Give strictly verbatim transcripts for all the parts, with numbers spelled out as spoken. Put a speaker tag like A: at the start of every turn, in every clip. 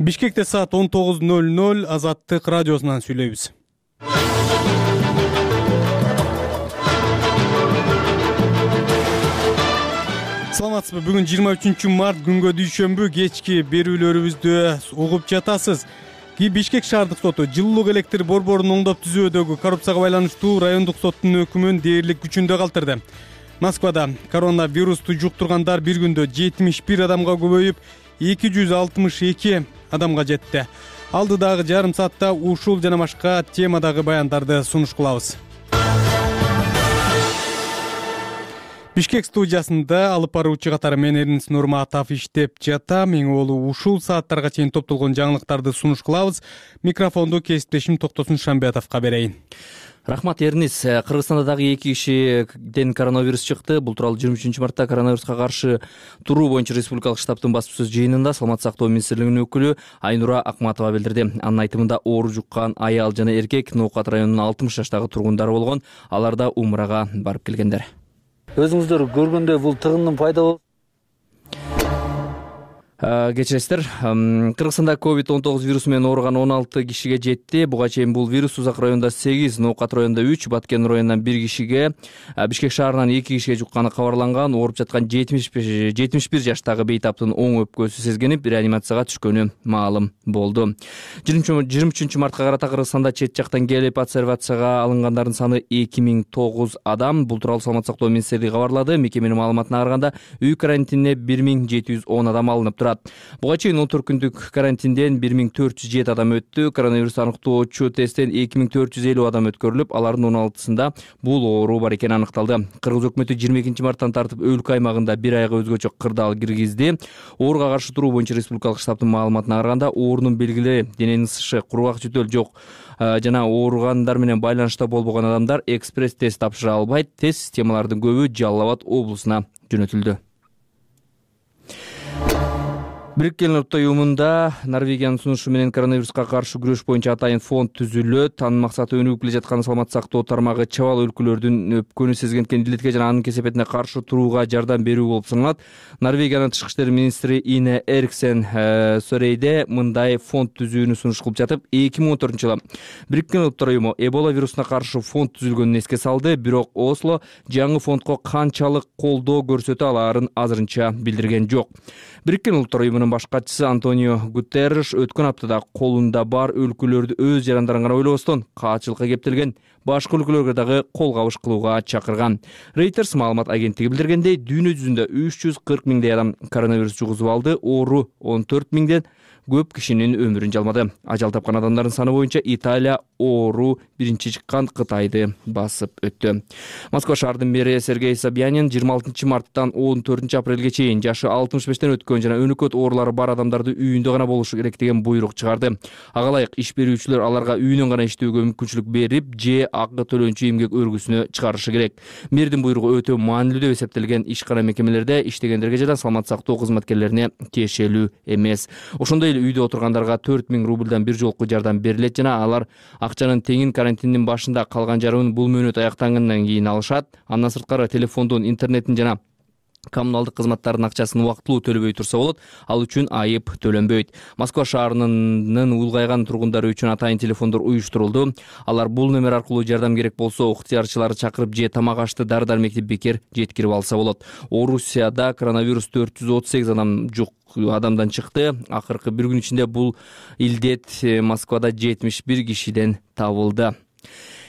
A: Бишкекте саат он тогуз ноль ноль Азаттык радиосунан сүйлөйбүз. Саламатсызбы? Бүгүн жыйырма үчүнчү март күнгө дүйшөмбү кечки берүүлөрүбүздү угуп жатасыз. Бишкек шаардык соту жылуулук электр борборун оңдоп түзүүдөгү коррупцияга байланыштуу райондук соттун өкүмүн дээрлик күчүндө калтырды. Москвада коронавирусту жуктургандар бир күндө жетимиш бир адамга көбөйүп, эки жүз алтымыш эки адамга жетти. Алдыдагы жарым саатта ушул жана башка темадагы баяндарды сунуш кылабыз. Бишкек студиясында алып баруучу катары мен Эрнис Нурматов иштеп жатам. Эң олу ушул сааттарга чейин топтолгон жаңылыктарды сунуш кылабыз. Микрофонду кесиптешим Токтосун Шамбетовго берейин.
B: Рахмат, Эрнис. Кыргызстанда дагы эки кишиден коронавирус чыкты. Бул тууралуу жыйырма үчүнчү мартта коронавируска каршы туруу боюнча республикалык штабтын басма сөз жыйынында Саламаттык сактоо министрлигинин өкүлү Айнура Акматова билдирди. Анын айтымында оору жуккан аял жана эркек Ноокат районунун алтымыш жаштагы тургундары болгон. Алар да умрага барып келгендер.
C: Өзүңүздөр көргөндөй бул тыгындын пайда болуп
B: Кечиресиздер, Кыргызстанда ковид он тогуз вирусу менен ооруган он алты кишиге жетти. Буга чейин бул вирус Узак районунда сегиз, Ноокат районунда үч, Баткен районунан бир кишиге, Бишкек шаарынан эки кишиге жукканы кабарланган. Ооруп жаткан жетимиш бир жаштагы бейтаптын оң өпкөсү сезгенип, реанимацияга түшкөнү маалым болду. жыйырма үчүнчү мартка карата Кыргызстанда чет жактан келип обсервацияга алынгандардын саны эки миң тогуз адам. Бул тууралуу Саламаттык сактоо министрлиги кабарлады. Мекеменин маалыматына караганда үй карантинине бир миң жети жүз он адам алынып турат. Буга чейин он төрт күндүк карантинден бир миң төрт жүз жети адам өттү. Коронавирус аныктоочу тесттен эки миң төрт жүз элүү адам өткөрүлүп, алардын он алтысында бул оору бар экени аныкталды. Кыргыз өкмөтү жыйырма экинчи марттан тартып өлкө аймагында бир айга өзгөчө кырдаал киргизди. Ооруга каршы туруу боюнча республикалык штабтын маалыматына караганда, оорунун белгилери дененин ысышы, кургак жөтөл жок жана ооругандар менен байланышта болбогон адамдар экспресс тест тапшыра албайт. Тест системалардын көбү Жалал Абад облусуна жөнөтүлдү. Бириккен Улуттар уюмунда Норвегиянын сунушу менен коронавируска каршы күрөш боюнча атайын фонд түзүлөт. Анын максаты өнүгүп келе жаткан саламаттык сактоо тармагы чабал өлкөлөрдүн өпкөнү сезген илдетке жана анын кесепетине каршы турууга жардам берүү болуп саналат. Норвегиянын тышкы иштер министри Ине Эриксен Сөрейде мындай фонд түзүүнү сунуш кылып жатып, эки миң он төртүнчү жылы Бириккен Улуттар уюму Эбола вирусуна каршы фонд түзүлгөнүн эске салды. Бирок Осло жаңы фондго канчалык колдоо көрсөтө алаарын азырынча билдирген жок. Бириккен Улуттар уюмунун баш катчысы Антонио Гутерриш өткөн аптада колунда бар өлкөлөрдү өз жарандарын гана ойлобостон, каачылыкка кептелген башка өлкөлөргө дагы кол кабыш кылууга чакырган. Reuters маалымат агенттиги билдиргендей, дүйнө жүзүндө үч жүз кырк миңдей адам коронавирус жугузуп алды. Оору он төрт миңден көп кишинин өмүрүн жалмады. Ажал тапкан адамдардын саны боюнча Италия оору биринчи чыккан Кытайды басып өттү. Москва шаарынын мэри Сергей Собянин жыйырма алтынчы марттан он төртүнчү апрелге чейин жашы алтымыш бештен өткөн жана өнөкөт оорулары бар адамдарды үйүндө гана болушу керек деген буйрук чыгарды. Ага ылайык иш берүүчүлөр аларга үйүнөн гана иштөөгө мүмкүнчүлүк берип, же акы төлөнчү эмгек өргүсүнө чыгарышы керек. Мэрдин буйругу өтө маанилүү деп эсептелген ишкана мекемелерде иштегендерге жана саламаттык сактоо кызматкерлерине тиешелүү эмес. Ошондой эле үйдө отургандарга төрт миң рубльдан бир жолку жардам берилет жана алар акчанын теңин карантиндин башында калган жарымын бул мөөнөт аяктангандан кийин алышат. Андан сырткары телефондун, интернеттин жана коммуналдык кызматтардын акчасын убактылуу төлөбөй турса болот, ал үчүн айып төлөнбөйт. Москва шаарынын улгайган тургундары үчүн атайын телефондор уюштурулду. Алар бул номер аркылуу жардам керек болсо, ыктыярчыларды чакырып же тамак ашты дары-дармекти бекер жеткирип алса болот. Орусияда коронавирус төрт жүз отуз сегиз адам жук адамдан чыкты. Акыркы бир күн ичинде бул илдет Москвада жетимиш бир кишиден табылды.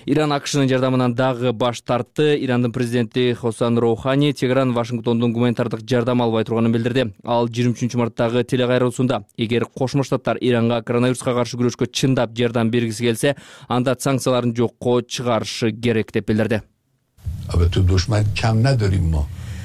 B: Иран АКШнын жардамынан дагы баш тартты. Ирандын президенти Хасан Роухани Тегеран Вашингтондон гуманитардык жардам албай турганын билдирди. Ал жыйырма үчүнчү марттагы телекайрылуусунда эгер Кошмо Штаттар Иранга коронавируска каршы күрөшкө чындап жардам бергиси келсе, анда санкцияларын жокко чыгарышы керек деп билдирди.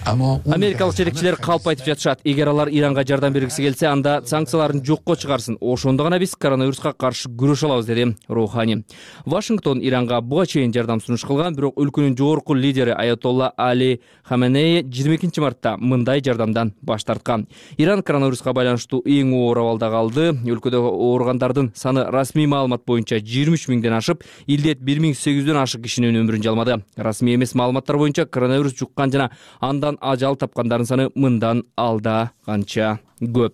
B: Америкалык жетекчилер калп айтып жатышат. Эгер алар Иранга жардам бергиси келсе, анда санкцияларын жокко чыгарсын. Ошондо гана биз коронавируска каршы күрөшө алабыз, деди Роухани. Вашингтон Иранга буга чейин жардам сунуш кылган, бирок өлкөнүн жогорку лидери Аятолла Али Хаменеи жыйырма экинчи мартта мындай жардамдан баш тарткан. Иран коронавируска байланыштуу эң оор абалда калды. Өлкөдө ооругандардын саны расмий маалымат боюнча жыйырма үч миңден ашып, илдет бир миң сегиз жүздөн ашык кишинин өмүрүн жалмады. Расмий эмес маалыматтар боюнча коронавирус жуккан жана андан ажал тапкандардын саны мындан алда канча көп.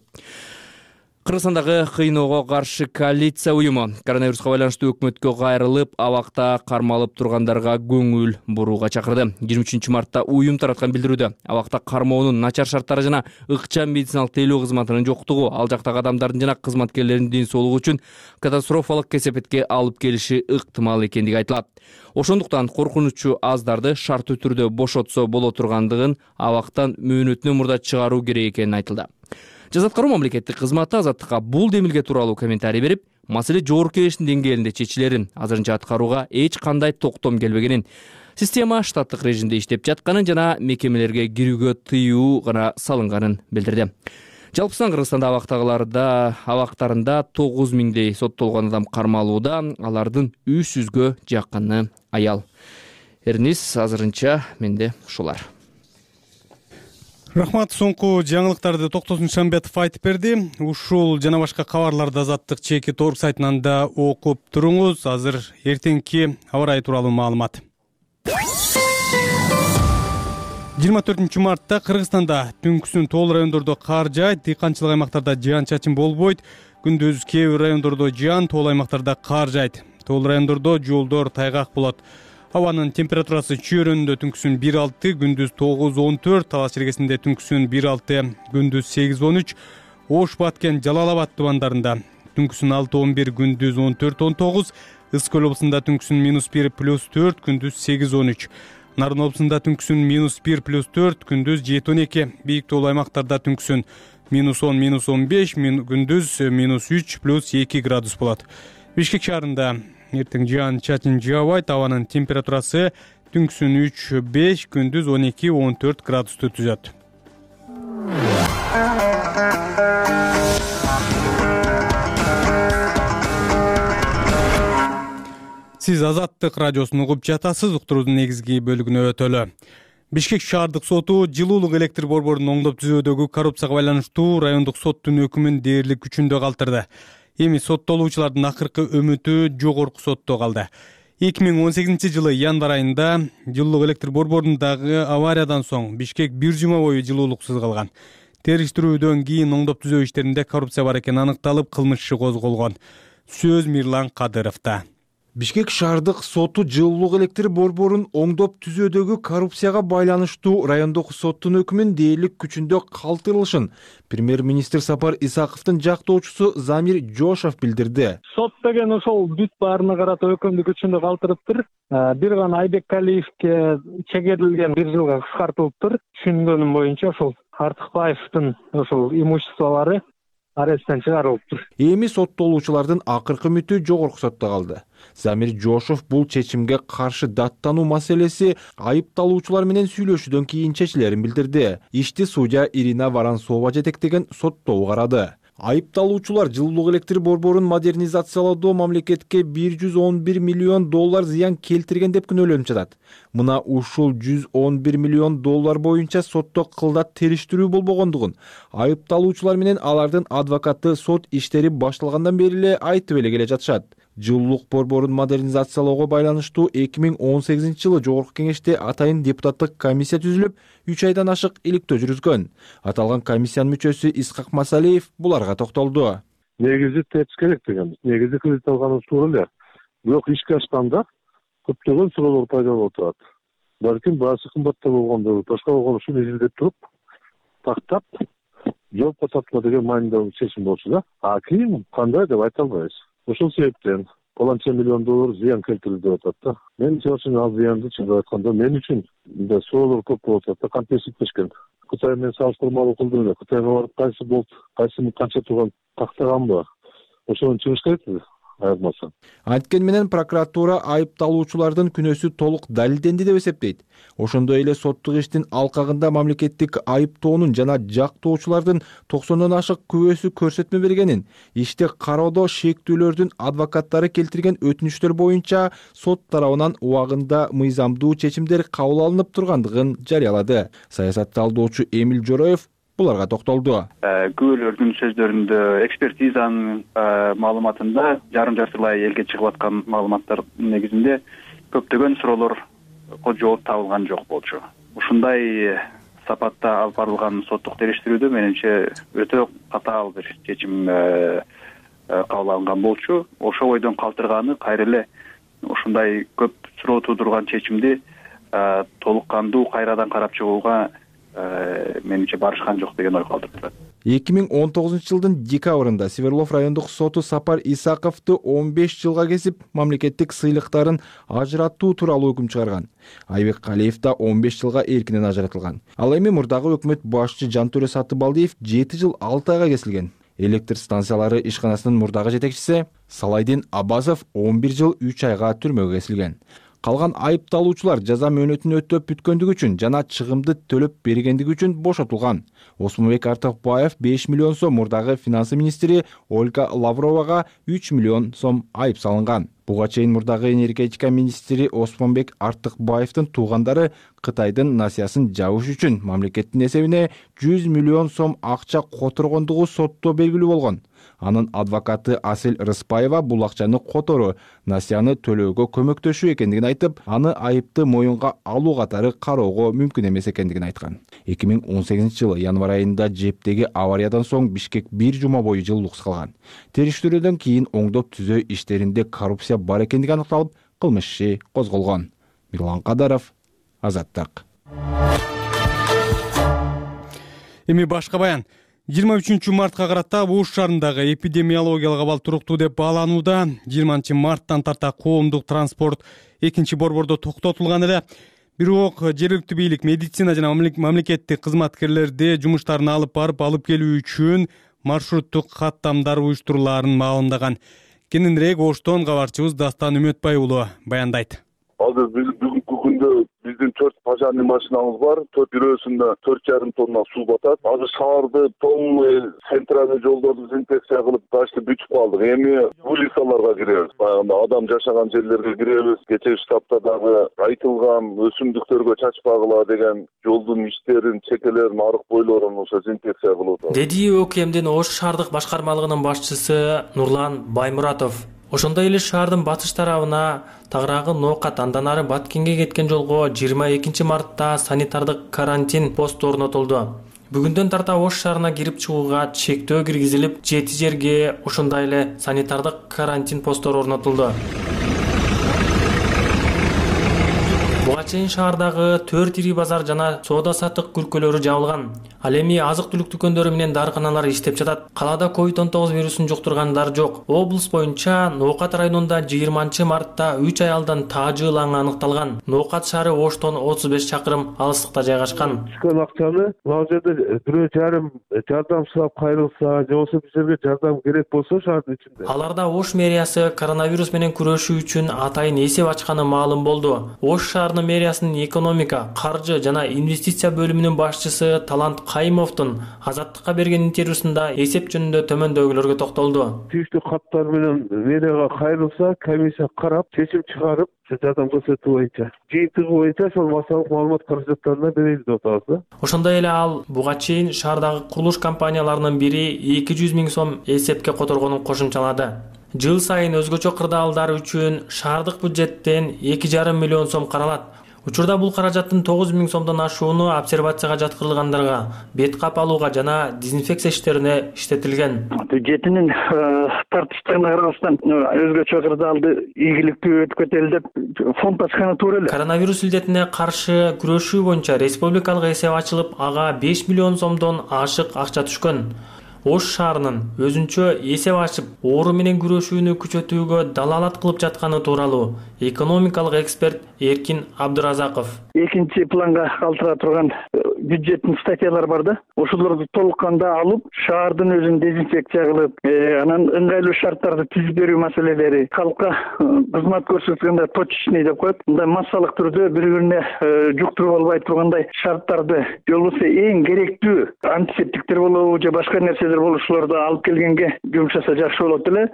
B: Кыргызстандагы кыйноого каршы коалиция уюму коронавируска байланыштуу өкмөткө кайрылып, абакта кармалып тургандарга көңүл бурууга чакырды. жыйырма үчүнчү мартта уюм тараткан билдирүүдө абакта кармоонун начар шарттары жана ыкчам медициналык тейлөө кызматынын жоктугу ал жактагы адамдардын жана кызматкерлердин ден соолугу үчүн катастрофалык кесепетке алып келиши ыктымал экендиги айтылат. Ошондуктан коркунучу аздарды шарттуу түрдө бошотсо боло тургандыгын абактан мөөнөтүнөн мурда чыгаруу керек экени айтылды. Жаза аткаруу мамлекеттик кызматы Азаттыкка бул демилге тууралуу комментарий берип, маселе жогорку кеңештин деңгээлинде чечилерин, азырынча аткарууга эч кандай токтом келбегенин, система штаттык режимде иштеп жатканын жана мекемелерге кирүүгө тыюу гана салынганын билдирди. Жалпысынан Кыргызстанда абактагыларда абактарында тогуз миңдей соттолгон адам кармалууда, алардын үч жүзгө жакыны аял. Эрнис, азырынча менде ушулар.
A: Рахмат, соңку жаңылыктарды Токтосун Шамбетов айтып берди. Ушул жана башка кабарларды Азаттык чеки торг сайтынан да окуп туруңуз. Азыр эртеңки аба ырайы тууралуу маалымат. жыйырма төртүнчү мартта Кыргызстанда түнкүсүн тоол райондордо кар жаайт, дыйканчылык аймактарда жаан-чачын болбойт. Күндүз кээ бир райондордо жаан, тоол аймактарда кар жаайт. Тоол райондордо жолдор тайгак болот. Абанын температурасы чөйрөнүндө түнкүсүн бир алты, күндүз тогуз он төрт, Талас чергесинде түнкүсүн бир алты, күндүз сегиз он үч, Ош, Баткен, Жалал Абад тубандарында түнкүсүн алты он бир, күндүз он төрт он тогуз, Ысык көл облусунда түнкүсүн минус бир плюс төрт, күндүз сегиз он үч, Нарын облусунда түнкүсүн минус бир плюс төрт, күндүз жети он эки, бийик тоол аймактарда түнкүсүн минус он минус он беш, күндүз минус үч плюс эки градус болот. Бишкек шаарында эртең жаан-чачын жаабайт, абанын температурасы түнкүсүн үч беш, күндүз он эки он төрт градусту түзөт. Сиз Азаттык радиосун угуп жатасыз, уктуруудун негизги бөлүгүнө өтөлү. Бишкек шаардык соту жылуулук электр борборунун оңдоп түзүүдөгү коррупцияга байланыштуу райондук соттун өкүмүн дээрлик күчүндө калтырды. Эми соттолуучулардын акыркы үмүтү жогорку сотто калды. эки миң он сегизинчи жылы январь айында жылуулук электр борборундагы авариядан соң Бишкек бир жума бою жылуулуксуз калган. Териштирүүдөн кийин оңдоп түзөө иштеринде коррупция бар экени аныкталып, кылмыш иши козголгон. Сөз Мирлан Кадыровда.
D: Бишкек шаардык соту жылуулук электр борборун оңдоп түзөөдөгү коррупцияга байланыштуу райондук соттун өкүмүн дээрлик күчүндө калтырылышын премьер-министр Сапар Исаковдун жактоочусу Замир Жошов билдирди.
E: Сот деген ошол бүт баарына карата өкүмдү күчүндө калтырыптыр. Бир гана Айбекалиевке чегерилген бир жылга кыскартылыптыр. Түшүнгөнүм боюнча ошол Артыкбаевдин ошол имуществолору аресттен чыгарылыптыр.
D: Эми соттолуучулардын акыркы үмүтү жогорку сотто калды. Замир Жошов бул чечимге каршы даттануу маселеси айыпталуучулар менен сүйлөшүүдөн кийин чечилерин билдирди. Ишти судья Ирина Воронцова жетектеген соттоо карады. Айыпталуучулар жылуулук электр борборун модернизациялоодо мамлекетке бир жүз он бир миллион доллар зыян келтирген деп күнөөлөнүп жатат. Мына ушул жүз он бир миллион доллар боюнча сотто кылдат териштирүү болбогондугун айыпталуучулар менен алардын адвокаты сот иштери башталгандан бери эле айтып эле келе жатышат. Жылуулук борборун модернизациялоого байланыштуу эки миң он сегизинчи жылы жогорку кеңеште атайын депутаттык комиссия түзүлүп, үч айдан ашык иликтөө жүргүзгөн. Аталган комиссиянын мүчөсү Исхак Масалиев буларга токтолду.
F: Негизи тепс керек деген. Негизи кредит алганыбыз туура эле. Бирок ишке ашканда көптөгөн суроолор пайда болуп атат. Балким баасы кымбатта болгондо, башка болгон ушуну изилдеп туруп, тактап, жоопко тартма деген маанидагы чечим болчу да. А кийин кандай деп айта албайбыз. Ошол себептен полонча миллион доллар зыян келтирди деп атат да. Мен үчүн ал зыянды чындап айтканда мен үчүн да суроолор көп болуп атат да, контекст кетпешкен. Кытай менен салыштырмалуу кылдым эле. Кытайга барып кайсы болуп, кайсы канча турган тактаганбы? Ошону чыгыш керек айырмасы.
D: Анткени менен прокуратура айыпталуучулардын күнөөсү толук далилденди деп эсептейт. Ошондой эле соттук иштин алкагында мамлекеттик айыптоонун жана жактоочулардын токсондон ашык күбөсү көрсөтмө бергенин, ишти кароодо шектүүлөрдүн адвокаттары келтирген өтүнүчтөр боюнча сот тарабынан убагында мыйзамдуу чечимдер кабыл алынып тургандыгын жарыялады. Саясат талдоочу Эмил Жороев буларга токтолду.
G: Күбөлөрдүн сөздөрүндө, экспертизанын маалыматында жарым жартылай элге чыгып аткан маалыматтар негизинде көптөгөн суроолорго жооп табылган жок болчу. Ушундай сапатта алып барылган соттук териштирүүдө менимче өтө катаал бир чечим кабыл алынган болчу. Ошол ойдон калтырганы кайра эле ушундай көп суроо туудурган чечимди толук кандуу кайрадан карап чыгууга менимче барышкан жок деген ой калтырып турат.
D: эки миң он тогузунчу жылдын декабрында Свердлов райондук соту Сапар Исаковду он беш жылга кесип, мамлекеттик сыйлыктарын ажыраттуу тууралуу өкүм чыгарган. Айбек Калиев да он беш жылга эркинен ажыратылган. Ал эми мурдагы өкмөт башчы Жантөре Сатыбалдиев жети жыл алты айга кесилген. Электр станциялары ишканасынын мурдагы жетекчиси Салайдин Абазов он бир жыл үч айга түрмөгө кесилген. Калган айыпталуучулар жаза мөөнөтүн өтөп бүткөндүгү үчүн жана чыгымды төлөп бергендиги үчүн бошотулган. Осмонбек Артыкбаев беш миллион сом, мурдагы финансы министри Ольга Лавровага үч миллион сом айып салынган. Буга чейин мурдагы энергетика министри Осмонбек Артыкбаевдин туугандары Кытайдын насыясын жабыш үчүн мамлекеттин эсебине жүз миллион сом акча которгондугу сотто белгилүү болгон. Анын адвокаты Асель Рыспаева бул акчаны которуу, насыяны төлөөгө көмөктөшүү экендигин айтып, аны айыпты моюнга алуу катары кароого мүмкүн эмес экендигин айткан. эки миң он сегизинчи жылы январь айында Жептеги авариядан соң Бишкек бир жума бою жылуулуксуз калган. Териштирүүдөн кийин оңдоп түзөө иштеринде коррупция бар экендиги аныкталып, кылмыш иши козголгон. Мирлан Кадаров, Азаттык.
A: Эми башка баян. жыйырма үчүнчү мартка карата Ош шаарындагы эпидемиологиялык абал туруктуу деп бааланууда. жыйырманчы марттан тарта коомдук транспорт экинчи борбордо токтотулган эле. Бирок жергиликтүү бийлик медицина жана мамлекеттик кызматкерлерди жумуштарын алып барып алып келүү үчүн маршруттук каттамдар уюштурулаарын маалымдаган. Кененирээк Оштон кабарчыбыз Дастан Үмөтбай уулу баяндайт.
F: Азыр бүгүнкү күндө биздин төрт пожарный машинабыз бар. Төрт бирөөсүндө төрт жарым тонна суу батат. Азыр шаарды полный центральный жолдорду дезинфекция кылып почти бүтүп калдык. Эми улицаларга киребиз. Баягында адам жашаган жерлерге киребиз. Кечээ штабта дагы айтылган өсүмдүктөргө чачпагыла деген жолдун иштерин, чекелерин, арык бойлорун ошо дезинфекция кылып атат.
H: Деди ОКМдин Ош шаардык башкармалыгынын башчысы Нурлан Баймуратов. Ошондой эле шаардын батыш тарабына тагыраагы Ноокат, андан ары Баткенге кеткен жолго жыйырма экинчи мартта санитардык карантин посту орнотулду. Бүгүндөн тарта Ош шаарына кирип чыгууга чектөө киргизилип, жети жерге ошондой эле санитардык карантин постору орнотулду. Буга чейин шаардагы төрт ири базар жана соода саттык күркөлөрү жабылган. Ал эми азык-түлүк дүкөндөрү менен дарыканалар иштеп жатат. Калаада ковид он тогуз вирусун жуктургандар жок. Облус боюнча Ноокат районунда жыйырманчы мартта үч аялдан таажыылаңы аныкталган. Ноокат шаары Оштон отуз беш чакырым алыстыкта жайгашкан.
F: Чыккан акчаны ал жерде бирөө жарым жардам сурап кайрылса, же болбосо биз жерге жардам керек болсо шаардын ичинде.
H: Аларда Ош мэриясы коронавирус менен күрөшүү үчүн атайын эсеп ачканы маалым болду. Ош шаарынын мэриясынын экономика, каржы жана инвестиция бөлүмүнүн башчысы Талант Кайымовдун Азаттыкка берген интервьюсунда эсеп жөнүндө төмөндөгүлөргө токтолду.
F: Тийиштүү каттар менен мэрияга кайрылса, комиссия карап, чечим чыгарып, жардам көрсөтүү боюнча, жыйынтыгы боюнча ошол массалык маалымат каражаттарына беребиз деп атабыз.
H: Ошондой эле ал буга чейин шаардагы курулуш компанияларынын бири эки жүз миң сом эсепке которгонун кошумчалады. Жыл сайын өзгөчө кырдаалдар үчүн шаардык бюджеттен эки жарым миллион сом каралат. Учурда бул каражаттын тогуз миң сомдон ашууну обсервацияга жаткырылгандарга, бет кап алууга жана дезинфекция иштерине иштетилген.
E: Бюджетинин тартыштыгына карабастан өзгөчө кырдаалды ийгиликтүү өткөтө эле деп фонд ачканы туура эле.
H: Коронавирус илдетине каршы күрөшүү боюнча республикалык эсеп ачылып, ага беш миллион сомдон ашык акча түшкөн. Ош шаарынын өзүнчө эсеп ачып, оору менен күрөшүүнү күчөтүүгө далаалат кылып жатканы тууралуу экономикалык эксперт Эркин Абдыразаков.
E: Экинчи планга калтыра турган бюджеттин статьялар бар да. Ошолорду толук канда алып, шаардын өзүн дезинфекция кылып, анан ыңгайлуу шарттарды түзүп берүү маселелери, калкка кызмат көрсөткөндө точечный деп коет. Мындай массалык түрдө бири-бирине жуктуруп албай тургандай шарттарды, же болбосо эң керектүү антисептиктер болобу же башка нерселер болушуларды алып келгенге жумшаса жакшы болот эле.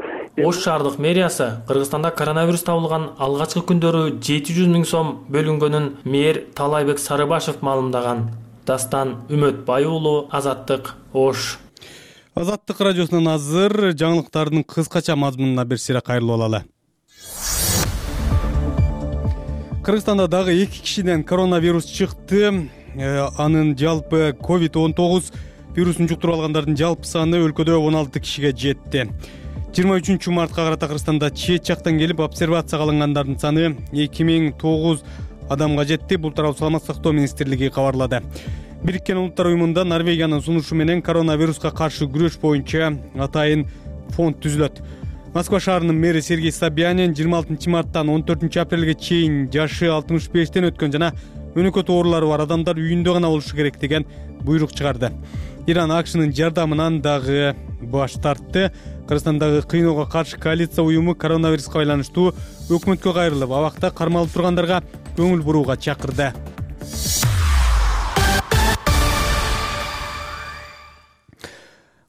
H: Ош шаардык мэриясы Кыргызстанда коронавирус табылган алгачкы күндөрү жети жүз миң сом бөлүнгөнүн мэр Талайбек Сарыбашев маалымдаган. Дастан Үмөтбай уулу, Азаттык, Ош.
A: Азаттык радиосунан азыр жаңылыктардын кыскача мазмунуна бир сыйра кайрылып алалы. Кыргызстанда дагы эки кишиден коронавирус чыкты. анын жалпы ковид он тогуз вирусун жуктуруп алгандардын жалпы саны өлкөдө он алты кишиге жетти. жыйырма үчүнчү мартка карата Кыргызстанда чет жактан келип обсервацияга алынгандардын саны эки миң тогуз адамга жетти. Бул тууралуу Саламаттык сактоо министрлиги кабарлады. Бириккен Улуттар уюмунда Норвегиянын сунушу менен коронавируска каршы күрөш боюнча атайын фонд түзүлөт. Москва шаарынын мэри Сергей Собянин жыйырма алтынчы марттан он төртүнчү апрелге чейин жашы алтымыш бештен өткөн жана өнөкөт оорулары бар адамдар үйүндө гана болушу керек деген буйрук чыгарды. Иран АКШнын жардамынан дагы баш тартты. Кыргызстандагы кыйноого каршы коалиция уюму коронавируска байланыштуу өкмөткө кайрылып, абакта кармалып тургандарга көңүл бурууга чакырды.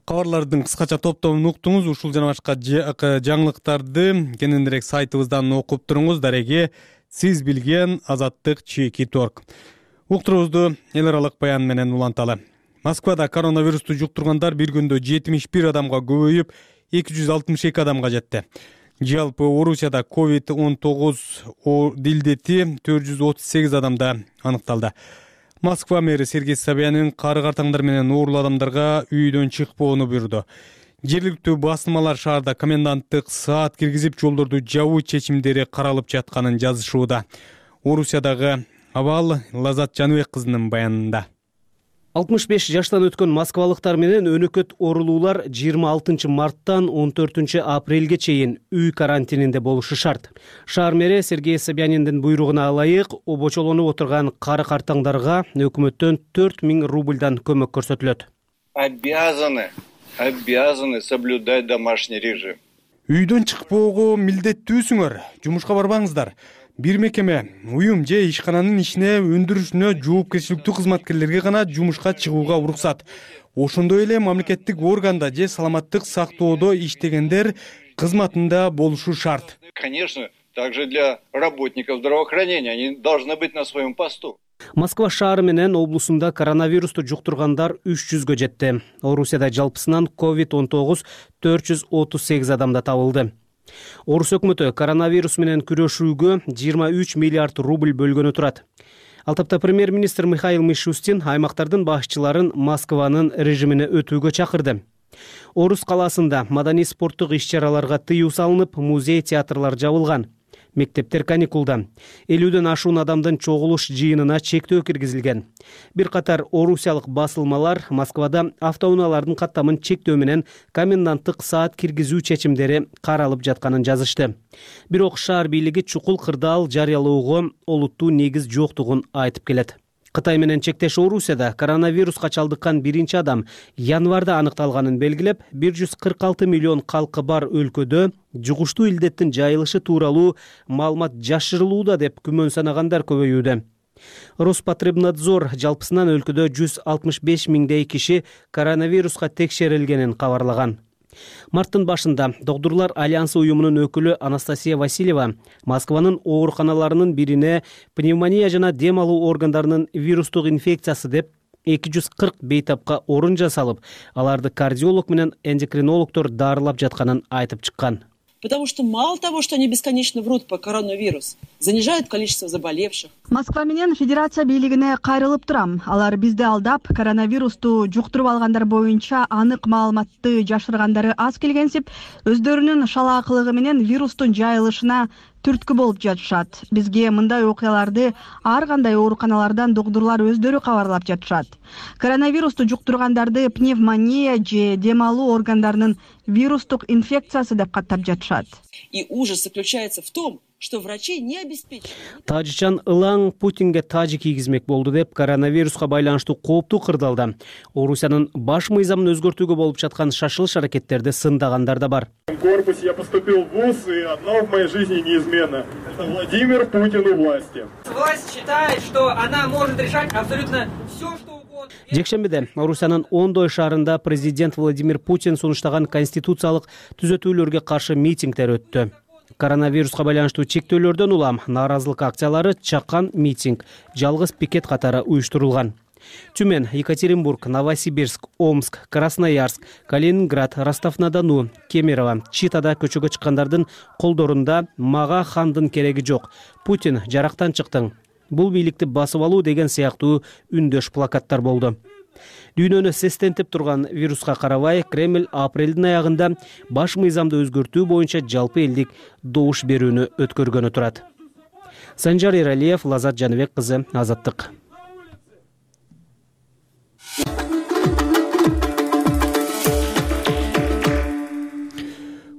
A: Кабарлардын кыскача топтомун уктуңуз. Ушул жана башка жаңылыктарды кененирээк сайтыбыздан окуп туруңуз. Дареге сиз билген Азаттык чеки торг. Уктурубузду эл аралык баян менен уланталы. Москвада коронавирусту жуктургандар бир күндө жетимиш бир адамга көбөйүп, эки жүз алтымыш эки адамга жетти. Жалпы Орусияда ковид он тогуз дилдети төрт жүз отуз сегиз адамда аныкталды. Москва мэри Сергей Собянин кары картаңдар менен оорулуу адамдарга үйдөн чыкпоону буйрду. Жергиликтүү басылмалар шаарда коменданттык саат киргизип, жолдорду жабуу чечимдери каралып жатканын жазышууда. Орусиядагы абал Лазат Жаныбек кызынын баянында.
I: алтымыш беш жаштан өткөн москвалыктар менен өнөкөт оорулуулар жыйырма алтынчы марттан он төртүнчү апрелге чейин үй карантининде болушу шарт. Шаар мэри Сергей Собяниндин буйругуна ылайык обочолонуп отурган кары картаңдарга өкмөттөн төрт миң рубльдан көмөк көрсөтүлөт.
J: Обязаны, обязаны соблюдать домашний режим.
A: Үйдөн чыкпоого милдеттүүсүңөр, жумушка барбаңыздар. Бир мекеме, уюм же ишкананын ишине, өндүрүшүнө жоопкерчиликтүү кызматкерлерге гана жумушка чыгууга уруксат. Ошондой эле мамлекеттик органда же саламаттык сактоодо иштегендер кызматында болушу шарт.
J: Конечно, также для работников здравоохранения они должны быть на своем посту.
I: Москва шаары менен облусунда коронавирусту жуктургандар үч жүзгө жетти. Орусияда жалпысынан ковид он тогуз төрт жүз отуз сегиз адамда табылды. Орус өкмөтү коронавирус менен күрөшүүгө жыйырма үч миллиард рубль бөлгөнү турат. Ал тапта премьер-министр Михаил Мишустин аймактардын башчыларын Москванын режимине өтүүгө чакырды. Орус калаасында маданий спорттук иш-чараларга тыюу салынып, музей, театрлар жабылган. Мектептер каникулда. элүүдөн ашуун адамдын чогулуш жыйынына чектөө киргизилген. Бир катар орусиялык басылмалар Москвада автоунаалардын каттамын чектөө менен коменданттык саат киргизүү чечимдери каралып жатканын жазышты. Бирок шаар бийлиги чукул кырдаал жарыялоого олуттуу негиз жоктугун айтып келет. Кытай менен чектеш Орусияда коронавируска чалдыккан биринчи адам январда аныкталганын белгилеп, бир жүз кырк алты миллион калкы бар өлкөдө жугуштуу илдеттин жайылышы тууралуу маалымат жашырылууда деп күмөн санагандар көбөйүүдө. Роспотребнадзор жалпысынан өлкөдө жүз алтымыш беш миңдей киши коронавируска текшерилгенин кабарлаган. Марттын башында Докторлор альянсы уюмунун өкүлү Анастасия Васильева Москванын ооруканаларынын бирине пневмония жана дем алуу органдарынын вирустук инфекциясы деп эки жүз кырк бейтапка орун жасалып, аларды кардиолог менен эндокринологдор дарылап жатканын айтып чыккан.
K: Потому что мало того, что они бесконечно врут по коронавирус, занижают количество заболевших.
L: Москва менен федерация бийлигине кайрылып турам. Алар бизди алдап, коронавирусту жуктуруп алгандар боюнча анык маалыматты жашыргандары аз келгенсип, өздөрүнүн шалаакылыгы менен вирустун жайылышына түрткү болуп жатышат. Бизге мындай окуяларды ар кандай ооруканалардан доктурлар өздөрү кабарлап жатышат. Коронавирусту жуктургандарды пневмония же дем алуу органдарынын вирустук инфекциясы деп каттап жатышат.
K: И ужас заключается в том, что врачи не обеспечивают.
I: Тажикчан ылаң Путинге тажи кийгизмек болду деп коронавируска байланыштуу кооптуу кырдаалда Орусиянын баш мыйзамын өзгөртүүгө болуп жаткан шашылыш аракеттерди сындагандар да бар.
M: В корпусе я поступил в вуз, и одно в моей жизни неизменно. Это Владимир Путин у власти.
N: Власть считает, что она может решать абсолютно все, что угодно.
I: Жекшембиде Орусиянын ондой шаарында президент Владимир Путин сунуштаган конституциялык түзөтүүлөргө каршы митингдер өттү. Коронавируска байланыштуу чектөөлөрдөн улам нааразылык акциялары, чакан митинг, жалгыз пикет катары уюштурулган. Тюмень, Екатеринбург, Новосибирск, Омск, Красноярск, Калининград, Ростов-на-Дону, Кемерово, Читада көчөгө чыккандардын колдорунда «Мага хандын кереги жок. Путин жарактан чыктың. бул бийликти басып алуу деген сыяктуу үндөш плакаттар болду. Дүйнөнү сестентип турган вируска карабай, Кремль апрелдин аягында баш мыйзамды өзгөртүү боюнча жалпы элдик добуш берүүнү өткөргөнү турат. Санжар Эралиев, Лазат Жаныбек кызы, Азаттык.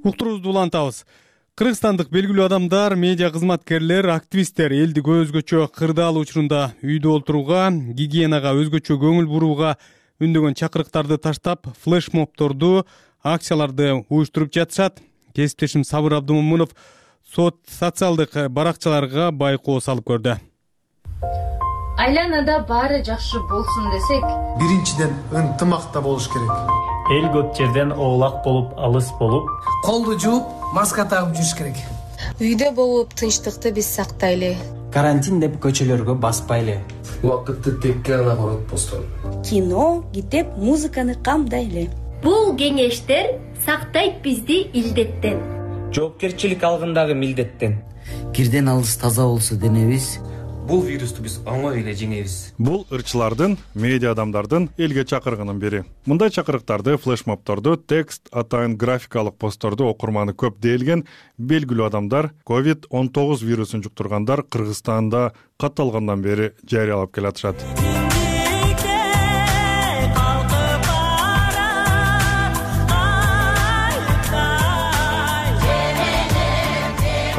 A: Уктуруубузду улантабыз. Кыргызстандык белгилүү адамдар, медиа кызматкерлер, активисттер элди өзгөчө кырдаал учурунда үйдө отурууга, гигиенага өзгөчө көңүл бурууга үндөгөн чакырыктарды таштап, флешмобторду, акцияларды уюштуруп жатышат. Кесиптешим Сабыр Абдымомунов социалдык баракчаларга байкоо салып көрдү.
O: Айланада баары жакшы болсун десек,
P: биринчиден ынтымакта болуш керек.
Q: Эл көп жерден оолак болуп, алыс болуп,
P: колду жууп, маска тагып жүрүш керек.
O: Үйдө болуп тынчтыкты биз сактайлы.
R: Карантин деп көчөлөргө баспайлы.
P: Убакытты текке гана коротпостон.
S: Кино, китеп, музыканы камдайлы.
T: Бул кеңештер сактайт бизди илдеттен.
R: Жоопкерчилик алгындагы милдеттен.
U: Кирден алыс таза болсо денебиз,
R: бул вирусту биз оңой эле жеңебиз.
V: Бул ырчылардын, медиа адамдардын элге чакыргынын бири. Мындай чакырыктарды, флешмобторду, текст, атайын графикалык постторду окурманы көп дээлген белгилүү адамдар ковид он тогуз вирусун жуктургандар Кыргызстанда катталгандан бери жарыялап келатышат.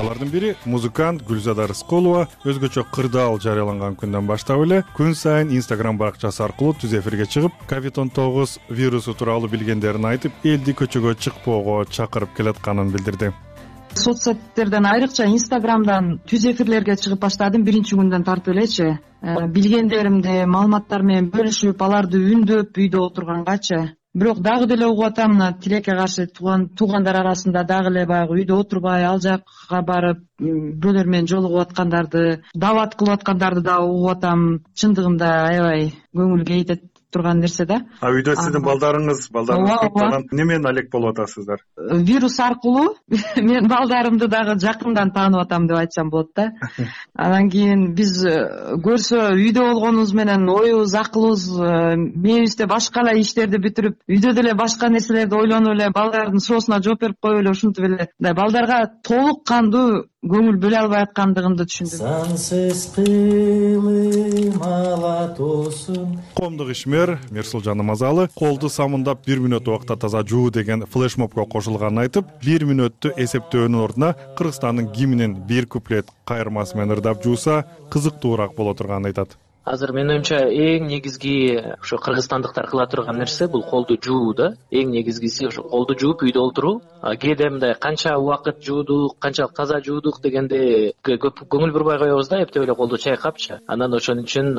V: Алардын бири музыкант Гүлзада Рыскулова өзгөчө кырдаал жарыяланган күндөн баштап эле күн сайын Instagram баракчасы аркылуу түз эфирге чыгып, ковид он тогуз вирусу тууралуу билгендерин айтып, элди көчөгө чыкпоого чакырып келатканын билдирди.
W: Соц сеттерден айрыкча Instagramдан түз эфирлерге чыгып баштадым биринчи күндөн тартып элечи. Билгендеримди, маалыматтар менен бөлүшүп, аларды үндөп үйдө отургангачы. Бирок дагы деле угуп атам, мына тилекке каршы туугандар арасында дагы эле баягы үйдө отурбай, ал жакка барып, бирөөлөр менен жолугуп аткандарды, дават кылып аткандарды да угуп атам. Чындыгында аябай көңүл кейтет турган нерсе да.
X: А үйдө сиздин балдарыңыз, балдарыңыз көптөгөн немен алек болуп атасыздар?
W: Вирус аркылуу мен балдарымды дагы жакындан таанып атам деп айтсам болот да. Анан кийин биз көрсө үйдө болгонубуз менен оюбуз, акылыбыз, мээбизде башка эле иштерди бүтүрүп, үйдө деле башка нерселерди ойлонуп эле балдардын суроосуна жооп берип коюп эле ушинтип эле балдарга толук кандуу көңүл бөлө албай аткандыгымды түшүндүм.
U: Сансыз кылым алатосун.
V: Коомдук ишмер Мирсулжан Намазалы колду самындап бир мүнөт убакта таза жуу деген флешмобко кошулганын айтып, бир мүнөттү эсептөөнүн ордуна Кыргызстандын гимнин бир куплет кайырмасы менен ырдап жууса кызыктуураак боло турганын айтат.
Y: Азыр менин оюмча эң негизги ошо кыргызстандыктар кыла турган нерсе бул колду жуу да. Эң негизгиси ошо колду жууп үйдө отуруу. Кээде мындай канча убакыт жуудук, канчалык таза жуудук дегенде көп көңүл бурбай коебуз да, эптеп эле колду чайкапчы. Анан ошон үчүн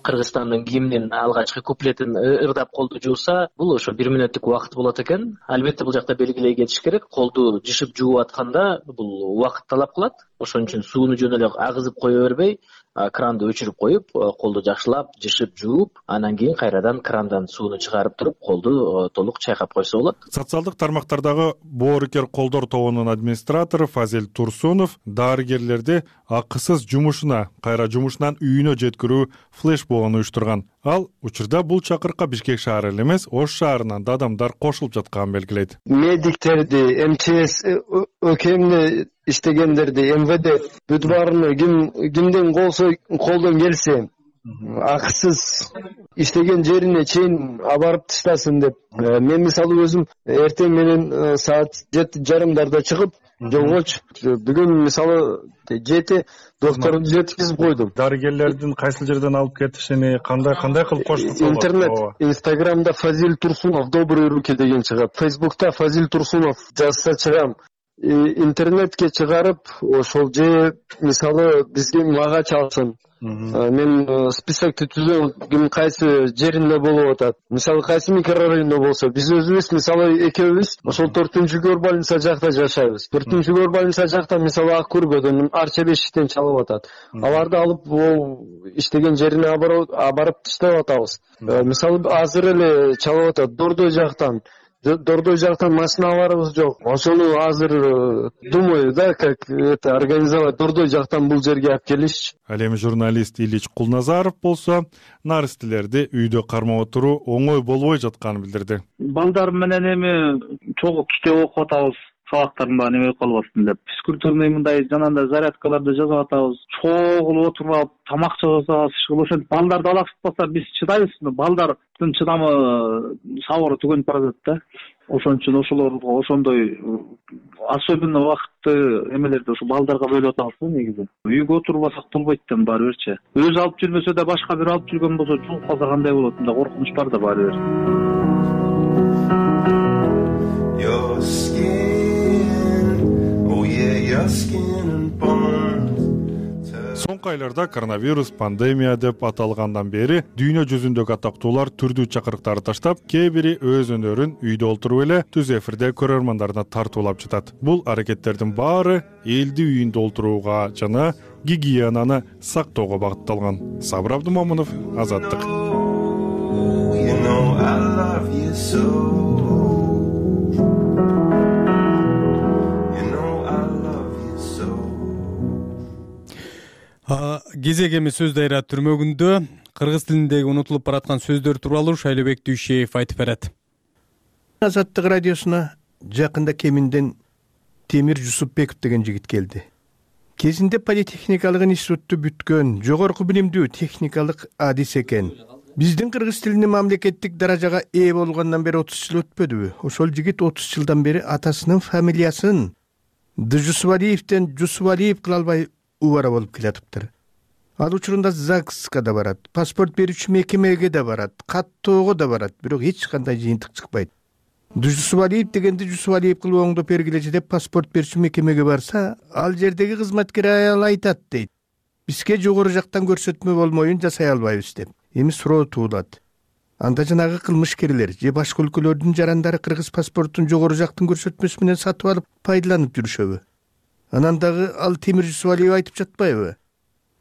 Y: Кыргызстандын гимнин алгачкы куплетин ырдап колду жууса, бул ошо бир мүнөттүк убакыт болот экен. Албетте бул жакта белгилей кетиш керек. Колду жышып жууп атканда бул убакыт талап кылат. Ошон үчүн сууну жөн эле агызып кое бербей, кранды өчүрүп коюп, колду жакшылап жышып жууп, анан кийин кайрадан крандан сууну чыгарып туруп, колду толук чайкап койсо болот.
V: Социалдык тармактардагы боорукер колдор тобунун администратору Фазил Турсунов дарыгерлерди акысыз жумушуна, кайра жумушунан үйүнө жеткирүү флешмобун уюштурган. Ал учурда бул чакырыкка Бишкек шаары эле эмес, Ош шаарынан да адамдар кошулуп жатканын белгилейт.
Z: Медиктерди, МЧС ÖKM'de иштегендерди, эм вэ дэ бүт баарыны ким кимден колсо колдон келсе акысыз иштеген жерине чейин абарып таштасын деп. Мен мисалы өзүм эртең менен саат жети жарымдарда чыгып жолгочу. Бүгүн мисалы жети докторду жеткизип койдум.
X: Дарыгерлердин кайсы жерден алып кетишини кандай кандай кылып коштук?
Z: Интернет, Инстаграмда Фазил Турсунов добрые руки деген чыгат. Фейсбукта Фазил Турсунов жазса чыгам. Интернетке чыгарып, ошол же мисалы бизге мага чалсын. Мен списокты түзөм, ким кайсы жеринде болуп атат. Мисалы кайсы микрорайондо болсо, биз өзүбүз мисалы экөөбүз ошол төртүнчү горбольница жакта жашайбыз. төртүнчү горбольница жакта мисалы ак көргөдөн арча бешиктен чалып атат. Аларды алып ол иштеген жерине абарып таштап атабыз. Мисалы азыр эле чалып атат Дордой жактан. Дордой жактан машиналарыбыз жок. Ошону азыр думаю, да, как это организовать, Дордой жактан бул жерге алып келишчи.
V: Ал эми журналист Ильич Кулназаров болсо наристелерди үйдө кармап отуруу оңой болбой жатканын билдирди.
B: Балдар менен эми чогуу китеп окуп атабыз. Сабактардын баары неме калбасын деп. Физкультурный мындай жанагындай зарядкаларды жазып атабыз. Чогуу отуруп алып тамак жасабыз. Ошентип балдарды алаксытпаса биз чыдайбызбы? Балдардын чыдамы сабыры түгөнүп баратат да. Ошон үчүн ошолорго ошондой особенно убакытты эмелерди ошо балдарга бөлүп атабыз да негизи. Үйгө отурбасак болбойт да баары бирчи. Өзү алып жүрбөсө да башка бир алып жүргөн болсо чугуп калса кандай болот? Мындай коркунуч бар да баары бир.
V: Соңку айларда коронавирус пандемия деп аталгандан бери дүйнө жүзүндөгү атактуулар түрдүү чакырыктарды таштап, кээ бири өз өнөрүн үйдө олтуруп эле түз эфирде көрөрмандарына тартуулап жатат. Бул аракеттердин баары элди үйүндө олтурууга жана гигиенаны сактоого багытталган. Сабыр Абдумомунов, Азаттык.
A: Кезек эми сөз дайра түрмөгүндө кыргыз тилиндеги унутулуп бараткан сөздөр тууралуу Шайлообек Дүйшеев айтып берет.
C: Азаттык радиосуна жакында Кеминден Темир Жусупбеков деген жигит келди. Кезинде политехникалык институтту бүткөн, жогорку билимдүү техникалык адис экен. Биздин кыргыз тилинин мамлекеттик даражага ээ болгондон бери отуз жыл өтпөдүбү? Ошол жигит отуз жылдан бери атасынын фамилиясын Джусвалиевден Жусвалиев кыла албай убара болуп келатыптыр. Ал учурунда ЗАГСка да барат, паспорт берүүчү мекемеге да барат, каттоого да барат, бирок эч кандай жыйынтык чыкпайт. Жусвалиев дегенди Жусвалиев кылып оңдоп бергилечи деп паспорт берүүчү мекемеге барса, ал жердеги кызматкер аял айтат дейт. Бизге жогору жактан көрсөтмө болмоюн жасай албайбыз деп. Эми суроо туулат. Анда жанагы кылмышкерлер же башка өлкөлөрдүн жарандары кыргыз паспортун жогору жактын көрсөтмөсү менен сатып алып пайдаланып жүрүшөбү? Анан дагы ал Темир Жусвалиев айтып жатпайбы?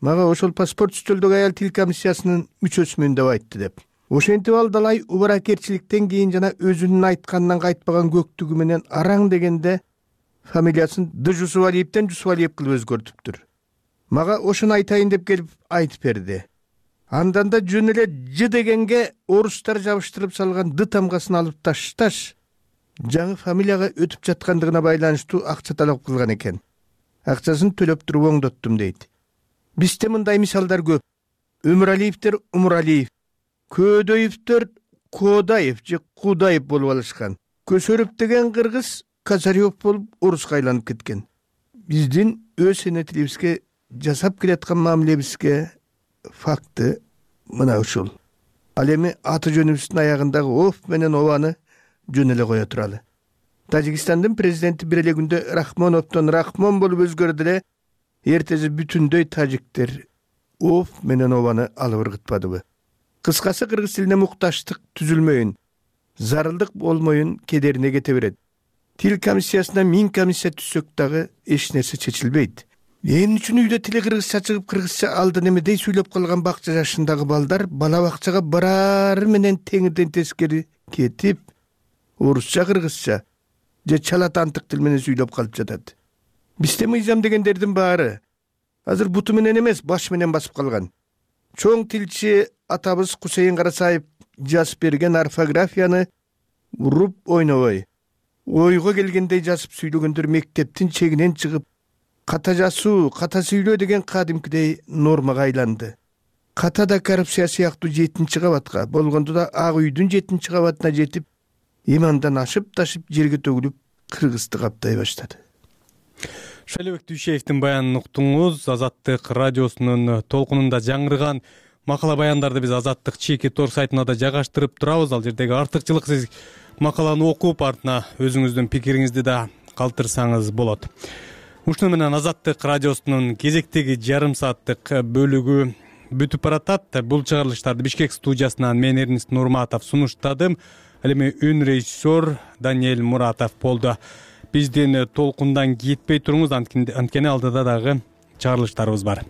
C: Мага ошол паспорт үстөлдөгү аял тил комиссиясынын мүчөсүмүн деп айтты деп. Ошентип ал далай убаракерчиликтен кийин жана өзүнүн айтканынан кайтпаган көктүгү менен араң дегенде фамилиясын Джусвалиевден Жусвалиев кылып өзгөртүптүр. Мага ошону айтайын деп келип айтып берди. Андан да жөн эле Ж дегенге орустар жабыштырып салган Д тамгасын алып ташташ жаңы фамилияга өтүп жаткандыгына байланыштуу акча талап кылган экен. Акчасын төлөп туруп оңдоттум дейт. Бизде мындай мисалдар көп. Өмүралиевдер Умуралиев, Көөдөевдер Коодаев же Куудаев болуп алышкан. Көсөрөп деген кыргыз Казарёв болуп оруска айланып кеткен. Биздин өз эне тилибизге жасап келаткан мамилебизге факты мына ушул. Ал эми аты жөнүбүздүн аягындагы оф менен обаны жөн эле кое туралы. Тажикстандын президенти бир эле күндө Рахмоновдон Рахмон болуп өзгөрдү эле, эртеси бүтүндөй тажиктер оф менен обаны алып ыргытпадыбы? Кыскасы кыргыз тилине мукташтык түзүлмөйүн, зарылдык болмоюн кедерине кете берет. Тил комиссиясына миң комиссия түзсөк дагы эч нерсе чечилбейт. Эмне үчүн үйдө тили кыргызча чыгып кыргызча алды немедей сүйлөп калган бакча жашындагы балдар бала бакчага барары менен теңирден тескери кетип орусча кыргызча же чалатантык тил менен сүйлөп калып жатат. Бизде мыйзам дегендердин баары азыр буту менен эмес, баш менен басып калган. Чоң тилчи атабыз Кусейин Карасаев жазып берген орфографияны уруп ойнобой, ойго келгендей жазып сүйлөгөндөр мектептин чегинен чыгып, ката жазуу, ката сүйлөө деген кадимкидей нормага айланды. Ката да коррупция сыяктуу жетинчи кабатка, болгондо да Ак үйдүн жетинчи кабатына жетип, имандан ашып-ташып жерге төгүлүп кыргызды каптай баштады.
A: Шайлообек Дүйшеевдин баянын уктуңуз. Азаттык радиосунун толкунунда жаңырган макала баяндарды биз Азаттык чеки тор сайтына да жайгаштырып турабыз. Ал жердеги артыкчылык сиз макаланы окуп, артына өзүңүздүн пикириңизди да калтырсаңыз болот. Ушуну менен Азаттык радиосунун кезектеги жарым сааттык бөлүгү бүтүп баратат. Бул чыгарылыштарды Бишкек студиясынан мен Эрнист Нурматов сунуштадым. Ал эми үн режиссер Даниэль Муратов болду. Биздин толкундан кетпей туруңуз, анткени алдыда дагы чыгарылыштарыбыз бар.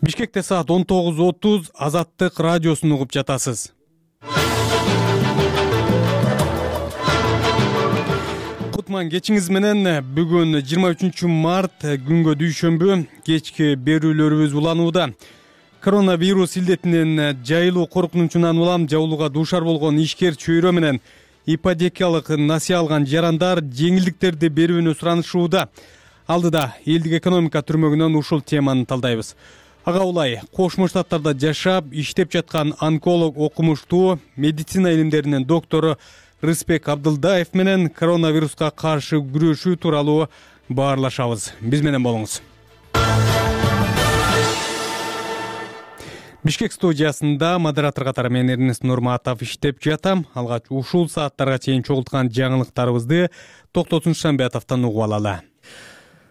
A: Бишкекте саат он тогуз отуз Азаттык радиосун угуп жатасыз. Кутман кечиңиз менен. Бүгүн жыйырма үчүнчү март күнгө дүйшөмбү кечки берүүлөрүбүз уланууда. Коронавирус илдетинин жайылуу коркунучунан улам жабылууга дуушар болгон ишкер чөйрө менен ипотекалык насыя алган жарандар жеңилдиктерди берүүнү суранышууда. Алдыда элдик экономика түрмөгүнөн ушул теманы талдайбыз. Ага улай Кошмо Штаттарда жашап, иштеп жаткан онколог окумуштуу медицина илимдеринин доктору Рыспек Абдылдаев менен коронавируска каршы күрөшүү тууралуу баарлашабыз. Биз менен болуңуз. Бишкек студиясында модератор катары мен Эрнест Нурматов иштеп жатам. Алгач ушул сааттарга чейин чогулткан жаңылыктарыбызды Токтотун Шамбетовдон угуп алалы.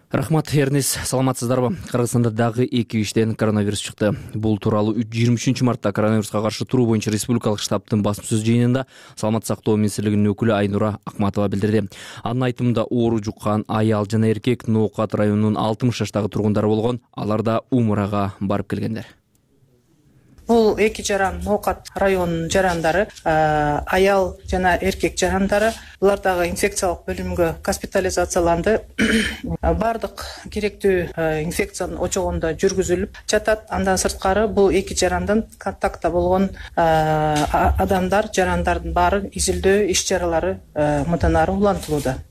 D: Рахмат, Эрнест, саламатсыздарбы? Кыргызстанда дагы эки кишиден коронавирус чыкты. Бул тууралуу жыйырма үчүнчү мартта коронавируска каршы туруу боюнча республикалык штабтын басма сөз жыйынында Саламаттык сактоо министрлигинин өкүлү Айнура Акматова билдирди. Анын айтымында оору жуккан аял жана эркек Ноокат районунун алтымыш жаштагы тургундары болгон. Алар да Умурага барып келгендер.
E: Бул эки жаран Ноокат районунун жарандары, аял жана эркек жарандары. Булар дагы инфекциялык бөлүмгө госпитализацияланды. Бардык керектүү инфекциянын очогунда жүргүзүлүп жатат. Андан сырткары бул эки жарандан контактта болгон адамдар, жарандардын баары изилдөө иш чаралары мындан ары улантылууда,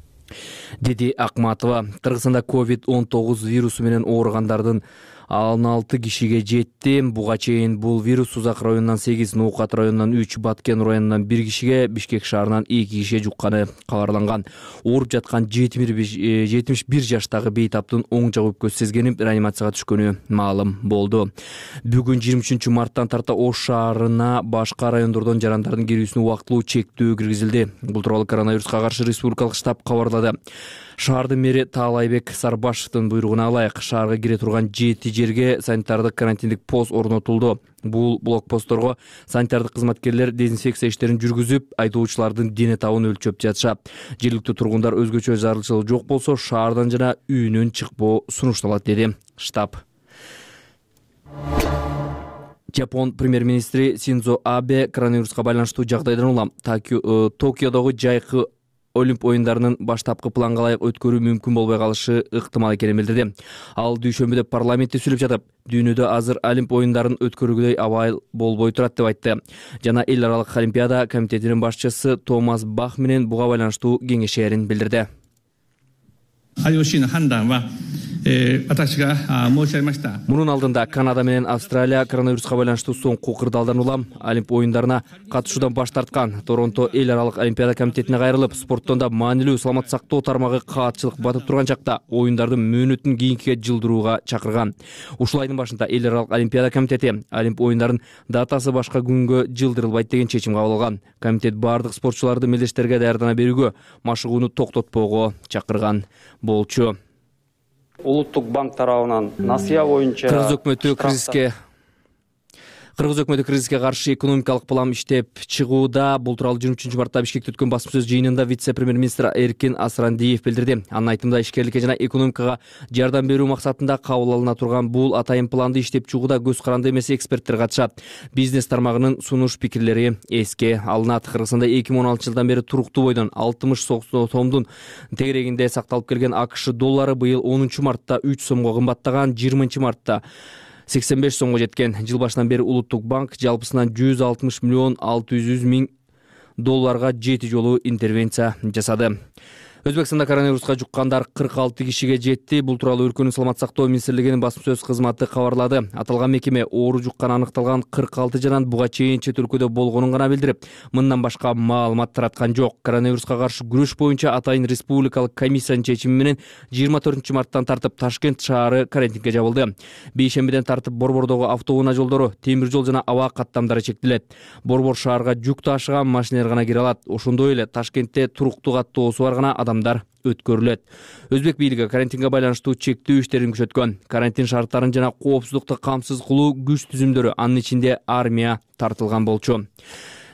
D: деди Акматова. Кыргызстанда ковид он тогуз вирусу менен ооругандардын он алты кишиге жетти. Буга чейин бул вирус Узак районунан сегиз, Ноокат районунан үч, Баткен районунан бир кишиге, Бишкек шаарынан эки кишиге жукканы кабарланган. Ооруп жаткан жетимиш бир жаштагы бейтаптын оң жак өпкөсү сезгенип, реанимацияга түшкөнү маалым болду. Бүгүн жыйырма үчүнчү марттан тарта Ош шаарына башка райондордон жарандардын кирүүсүнө убактылуу чектөө киргизилди. Бул тууралуу коронавируска каршы республикалык штаб кабарлады. Шаардын мэри Таалайбек Сарбашевдин буйругуна ылайык шаарга кире турган жети жерге санитардык карантиндик пост орнотулду. Бул блокпостторго санитардык кызматкерлер дезинфекция иштерин жүргүзүп, айдоочулардын дене табын өлчөп жатышат. Жергиликтүү тургундар өзгөчө зарылчылык жок болсо шаардан жана үйүнөн чыкпоо сунушталат, деди штаб. Жапон премьер-министри Синдзо Абе коронавируска байланыштуу жагдайдан улам Токиодогу жайкы Олимп оюндарынын баштапкы планга ылайык өткөрүү мүмкүн болбой калышы ыктымал экенин билдирди. Ал дүйшөмбүдө парламентте сүйлөп жатып, дүйнөдө азыр Олимп оюндарын өткөрүүгөдөй абал болбой турат деп айтты. Жана эл аралык Олимпиада комитетинин башчысы Томас Бах менен буга байланыштуу кеңешээрин билдирди. Мунун алдында Канада менен Австралия коронавируска байланыштуу соңку кырдаалдан улам Олимп оюндарына катышуудан баш тарткан. Торонто эл аралык Олимпиада комитетине кайрылып, спорттон да маанилүү саламаттык сактоо тармагы каатчылык батып турган чакта оюндардын мөөнөтүн кийинкиге жылдырууга чакырган. Ушул айдын башында эл аралык Олимпиада комитети Олимп оюндарын датасы башка күнгө жылдырылбайт деген чечим кабыл алган. Комитет бардык спортчуларды мелдештерге даярдана берүүгө, машыгууну токтотпоого чакырган болчу.
F: Улуттук банк тарабынан насыя боюнча
D: Кыргыз өкмөтү кризиске Кыргыз өкмөтү кризиске каршы экономикалык план иштеп чыгууда. Бул тууралуу жыйырма үчүнчү мартта Бишкекте өткөн басма сөз жыйынында вице-премьер-министр Эркин Асрандиев билдирди. Анын айтымында ишкерликке жана экономикага жардам берүү максатында кабыл алына турган бул атайын планды иштеп чыгууда көз каранды эмес эксперттер катышат. Бизнес тармагынын сунуш пикирлери эске алынат. Кыргызстанда эки миң он алтынчы жылдан бери туруктуу бойдон алтымыш сомдун тегерегинде сакталып келген АКШ доллары быйыл онунчу мартта үч сомго кымбаттаган. жыйырманчы мартта сексен беш сомго жеткен. Жыл башынан бери Улуттук банк жалпысынан жүз алтымыш миллион алты жүз миң долларга жети жолу интервенция жасады. Өзбекстанда коронавируска жуккандар кырк алты кишиге жетти. Бул тууралуу өлкөнүн саламаттык сактоо министрлигинин басма сөз кызматы кабарлады. Аталган мекеме оору жуккан аныкталган кырк алты жаран буга чейин чет өлкөдө болгонун гана билдирип, мындан башка маалымат тараткан жок. Коронавируска каршы күрөш боюнча атайын республикалык комиссиянын чечими менен жыйырма төртүнчү марттан тартып Ташкент шаары карантинге жабылды. Бейшембиден тартып Борбордогу автоунаа жолдору, темир жол жана аба каттамдары чектелет. Борбор шаарга жүк ташыган машиналар гана кире алат. Ошондой эле Ташкентте туруктуу каттоосу бар гана адам өткөрүлөт. Өзбек бийлиги карантинге байланыштуу чектөө иштерин күчөткөн. Карантин шарттарын жана коопсуздукту камсыз кылуу күч түзүмдөрү, анын ичинде армия тартылган болчу.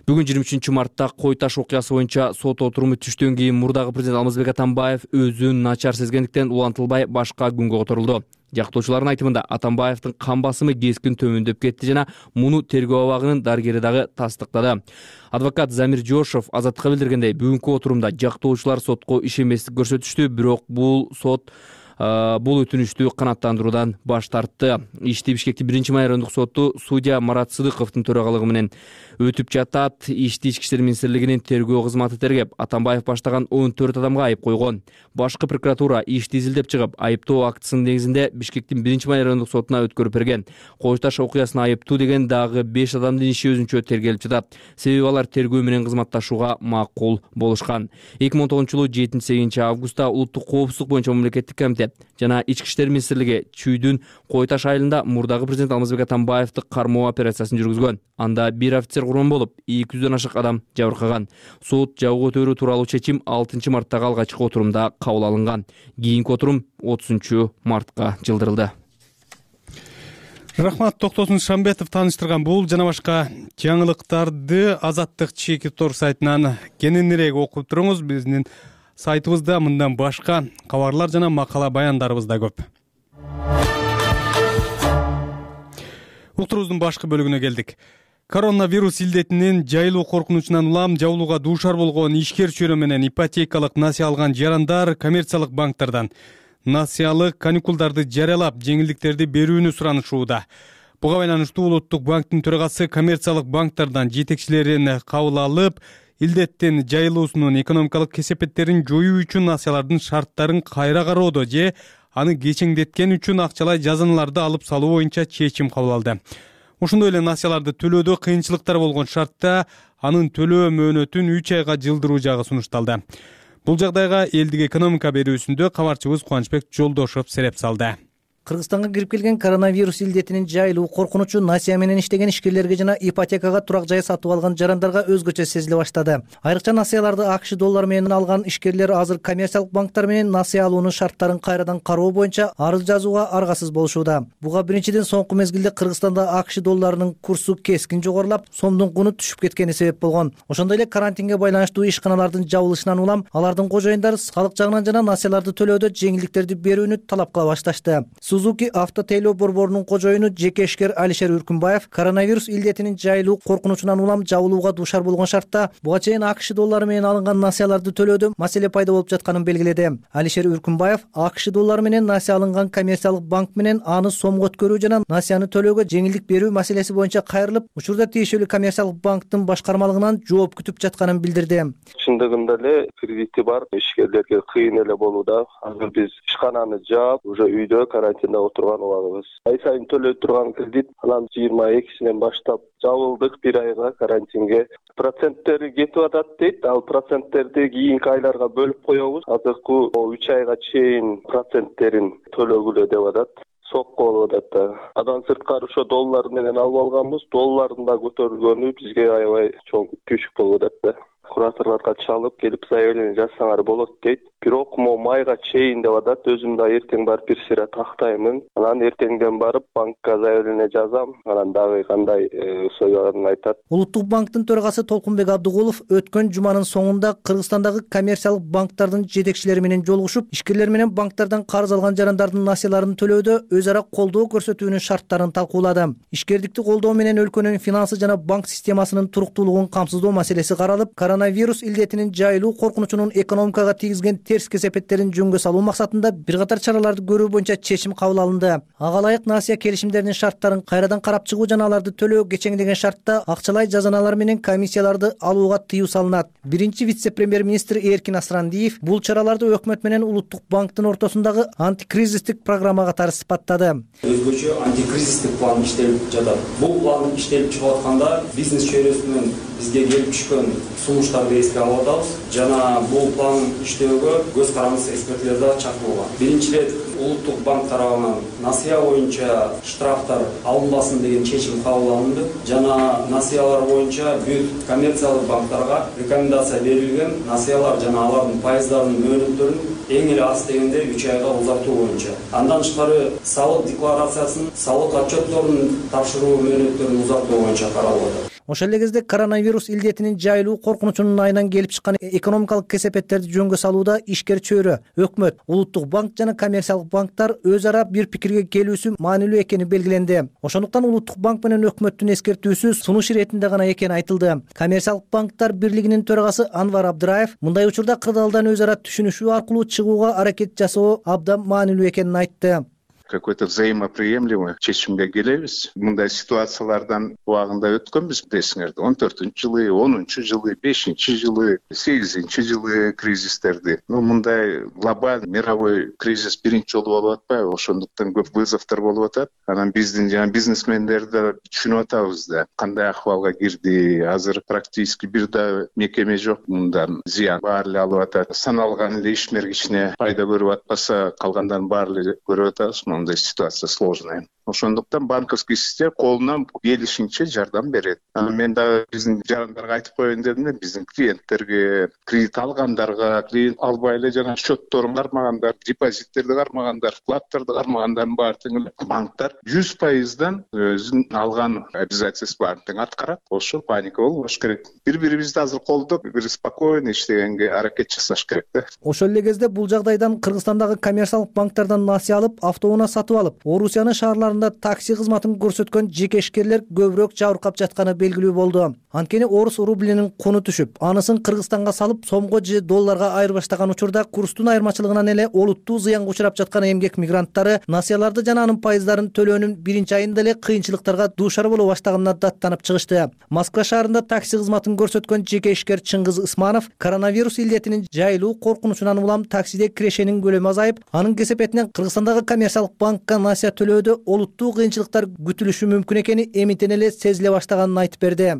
D: Бүгүн жыйырма үчүнчү мартта Кой Таш окуясы боюнча сот отуруму түштөн кийин мурдагы президент Алмазбек Атамбаев өзүн начар сезгендиктен улантылбай башка күнгө которулду. Жактоочулардын айтымында Атамбаевдин кан басымы кескин төмөндөп кетти жана муну тергөө абагынын дарыгери дагы тастыктады. Адвокат Замир Жошов Азаттыкка билдиргендей, бүгүнкү отурумда жактоочулар сотко ишенбестик көрсөтүштү, бирок бул сот бул өтүнүштү канааттандыруудан баш тартты. Ишти Бишкектин биринчи майрандык соту судья Марат Сыдыковдун төрагалыгы менен өтүп жатат. Ишти Ички иштер министрлигинин тергөө кызматы тергеп, Атамбаев баштаган он төрт адамга айып койгон. Башкы прокуратура ишти изилдеп чыгып, айыптоо актысынын негизинде Бишкектин биринчи майрандык сотуна өткөрүп берген. Кой Таш окуясына айыптуу деген дагы беш адамдын иши өзүнчө тергелип жатат. Себеби алар тергөө менен кызматташууга макул болушкан. эки миң он тогузунчу жылы жетинчи сегизинчи августта Улуттук коопсуздук боюнча мамлекеттик комитет жана Ички иштер министрлиги Чүйдүн Кой Таш айылында мурдагы президент Алмазбек Атамбаевди кармоо операциясын жүргүзгөн. Анда бир офицер курман болуп, эки жүздөн ашык адам жабыркаган. Сот жабуу көтөрүү тууралуу чечим алтынчы марттагы алгачкы отурумда кабыл алынган. Кийинки отурум отузунчу мартка жылдырылды.
A: Рахмат, Токтосун Шамбетов тааныштырган бул жана башка жаңылыктарды Азаттык чеки тор сайтынан кененирээк окуп туруңуз. Биздин сайтыбызда мындан башка кабарлар жана макала баяндарыбыз да көп. Уктурубуздун башкы бөлүгүнө келдик. Коронавирус илдетинин жайылуу коркунучунан улам жабылууга дуушар болгон ишкер чөйрө менен ипотекалык насыя алган жарандар коммерциялык банктардан насыялык каникулдарды жарыялап жеңилдиктерди берүүнү суранышууда. Буга байланыштуу Улуттук банктын төрагасы коммерциялык банктардан жетекчилерин кабыл алып, илдеттин жайылуусунун экономикалык кесепеттерин жоюу үчүн насыялардын шарттарын кайра кароодо же аны кечеңдеткен үчүн акчалай жазаналарды алып салуу боюнча чечим кабыл алды. Ошондой эле насыяларды төлөөдө кыйынчылыктар болгон шартта анын төлөө мөөнөтүн үч айга жылдыруу жагы сунушталды. Бул жагдайга элдик экономика берүүсүндө кабарчыбыз Кубанычбек Жолдошов сереп салды.
G: Кыргызстанга кирип келген коронавирус илдетинин жайылуу коркунучу насыя менен иштеген ишкерлерге жана ипотекага турак жай сатып алган жарандарга өзгөчө сезиле баштады. Айрыкча насыяларды АКШ доллары менен алган ишкерлер азыр коммерциялык банктар менен насыя алуунун шарттарын кайрадан кароо боюнча арыз жазууга аргасыз болушууда. Буга биринчиден соңку мезгилде Кыргызстанда АКШ долларынын курсу кескин жогорулап, сомдун куну түшүп кеткени себеп болгон. Ошондой эле карантинге байланыштуу ишканалардын жабылышынан улам алардын кожоюндары салык жагынан жана насыяларды төлөөдө жеңилдиктерди берүүнү талап кыла башташты. Сузуки автотейлөө борборунун кожоюну жеке ишкер Алишер Үркүнбаев коронавирус илдетинин жайылуу коркунучунан улам жабылууга дуушар болгон шартта буга чейин АКШ доллары менен алынган насыяларды төлөөдө маселе пайда болуп жатканын белгиледи. Алишер Үркүнбаев АКШ доллары менен насыя алынган коммерциялык банк менен аны сомго өткөрүү жана насыяны төлөөгө жеңилдик берүү маселеси боюнча кайрылып, учурда тиешелүү коммерциялык банктын башкармалыгынан жооп күтүп жатканын билдирди.
H: Чындыгында эле кредити бар ишкерлерге кыйын эле болууда. Азыр биз ишкананы жаап, уже үйдө карантинде отурган убагыбыз. Ай сайын төлөй турган кредит анан жыйырма экисинен баштап жабылдык бир айга карантинге. Проценттери кетип атат дейт. Ал проценттерди кийинки айларга бөлүп коебуз. Азыркы үч айга чейин проценттерин төлөгүлө деп атат. Сокко болуп атат. Андан сырткары ошо доллар менен алып алганбыз. Доллардын да көтөрүлгөнү бизге аябай чоң күчүк болуп атат. Кураторлорго чалып келип заявление жазсаңар болот дейт. Бирок мо майга чейин деп атат. Өзүм да эртең барып бир сыйра тактаймын. Анан эртеңден барып банкка заявление жазам. Анан дагы кандай условияларын айтат.
G: Улуттук банктын төрагасы Толкунбек Абдыгулов өткөн жуманын соңунда Кыргызстандагы коммерциялык банктардын жетекчилери менен жолугушуп, ишкерлер менен банктардан карыз алган жарандардын насыяларын төлөөдө өз ара колдоо көрсөтүүнүн шарттарын талкуулады. Ишкердикти колдоо менен өлкөнүн финансы жана банк системасынын туруктуулугун камсыздоо маселеси каралып, коронавирус илдетинин жайылуу коркунучунун экономикага тийгизген терс кесепеттерин жөнгө салуу максатында бир катар чараларды көрүү боюнча чечим кабыл алынды. Ага ылайык насыя келишимдеринин шарттарын кайрадан карап чыгуу жана аларды төлөө кечеңдеген шартта акчалай жазаналар менен комиссияларды алууга тыюу салынат. Биринчи вице-премьер-министр Эркин Асрандиев бул чараларды өкмөт менен Улуттук банктын ортосундагы антикризистик программа катары сыпаттады.
F: Өзгөчө антикризистик план иштелип жатат. Бул план иштелип чыгып атканда бизнес чөйрөсүнөн бизге келип түшкөн сунуштарды эске алып атабыз жана бул план иштөөгө көз карандысы эксперттер да чакырылган. Биринчиден Улуттук банк тарабынан насыя боюнча штрафтар алынбасын деген чечим кабыл алынды жана насыялар боюнча бүт коммерциялык банктарга рекомендация берилген насыялар жана алардын пайыздарынын мөөнөттөрүн эң эле аз дегенде үч айга узартуу боюнча. Андан тышкары салык декларациясын, салык отчетторун тапшыруу мөөнөттөрүн узартуу боюнча каралып атат.
G: Ошол эле кезде коронавирус илдетинин жайылуу коркунучунун айынан келип чыккан экономикалык кесепеттерди жөнгө салууда ишкер чөйрө, өкмөт, улуттук банк жана коммерциялык банктар өз ара бир пикирге келүүсү маанилүү экени белгиленди. Ошондуктан улуттук банк менен өкмөттүн эскертүүсү сунуш иретинде гана экени айтылды. Коммерциялык банктар бирлигинин төрагасы Анвар Абдыраев мындай учурда кырдаалдан өз ара түшүнүшүү аркылуу чыгууга аракет жасоо абдан маанилүү экенин айтты.
I: Какой-то взаимоприемлемый чечимге келебиз. Мындай ситуациялардан убагында өткөнбүз, десиңерди. он төртүнчү жылы, онунчу жылы, бешинчи жылы, сегизинчи жылы кризистерди. Ну, мындай глобаль мировой кризис биринчи жолу болуп атпайбы? Ошондуктан көп вызовдор болуп атат. Анан биздин жана бизнесмендер да түшүнүп атабыз да. Кандай акыбалга кирди? Азыр практически бир да мекеме жок мындан зыян баары эле алып атат. Саналган эле ишмер кичине пайда көрүп атпаса, калгандардын баары эле көрүп атабыз. Мындай ситуация сложная. Ошондуктан банковский система колунан келишинче жардам берет. Анан мен дагы биздин жарандарга айтып коеюн дедим да, биздин клиенттерге, кредит алгандарга, кредит албай эле жана счетторун кармагандар, депозиттерди кармагандар, вкладдарды кармагандардын баары тең эле банктар жүз пайыздан өзүнүн алган обязательствосун баарын тең аткарат. Ошо паника болбош керек. Бири-бирибизди азыр колдоп, бир спокойно иштегенге аракет жасаш керек да.
G: Ошол эле кезде бул жагдайдан Кыргызстандагы коммерциялык банктардан насыя алып, автоунаа сатып алып, Орусиянын шаарларында такси кызматын көрсөткөн жеке ишкерлер көбүрөөк жабыркап жатканы белгилүү болду. Анткени орус рублинин куну түшүп, анысын Кыргызстанга салып, сомго же долларга айырбаштаган учурда курстун айырмачылыгынан эле олуттуу зыянга учурап жаткан эмгек мигранттары насыяларды жана анын пайыздарын төлөөнүн биринчи айында эле кыйынчылыктарга дуушар боло баштаганына даттанып чыгышты. Москва шаарында такси кызматын көрсөткөн жеке ишкер Чыңгыз Ысманов коронавирус илдетинин жайылуу коркунучунан улам таксиде кирешенин көлөмү азайып, анын кесепетинен Кыргызстандагы коммерциялык банкка насыя төлөөдө олуттуу кыйынчылыктар күтүлүшү мүмкүн экени эмитен эле сезиле баштаганын айтып берди.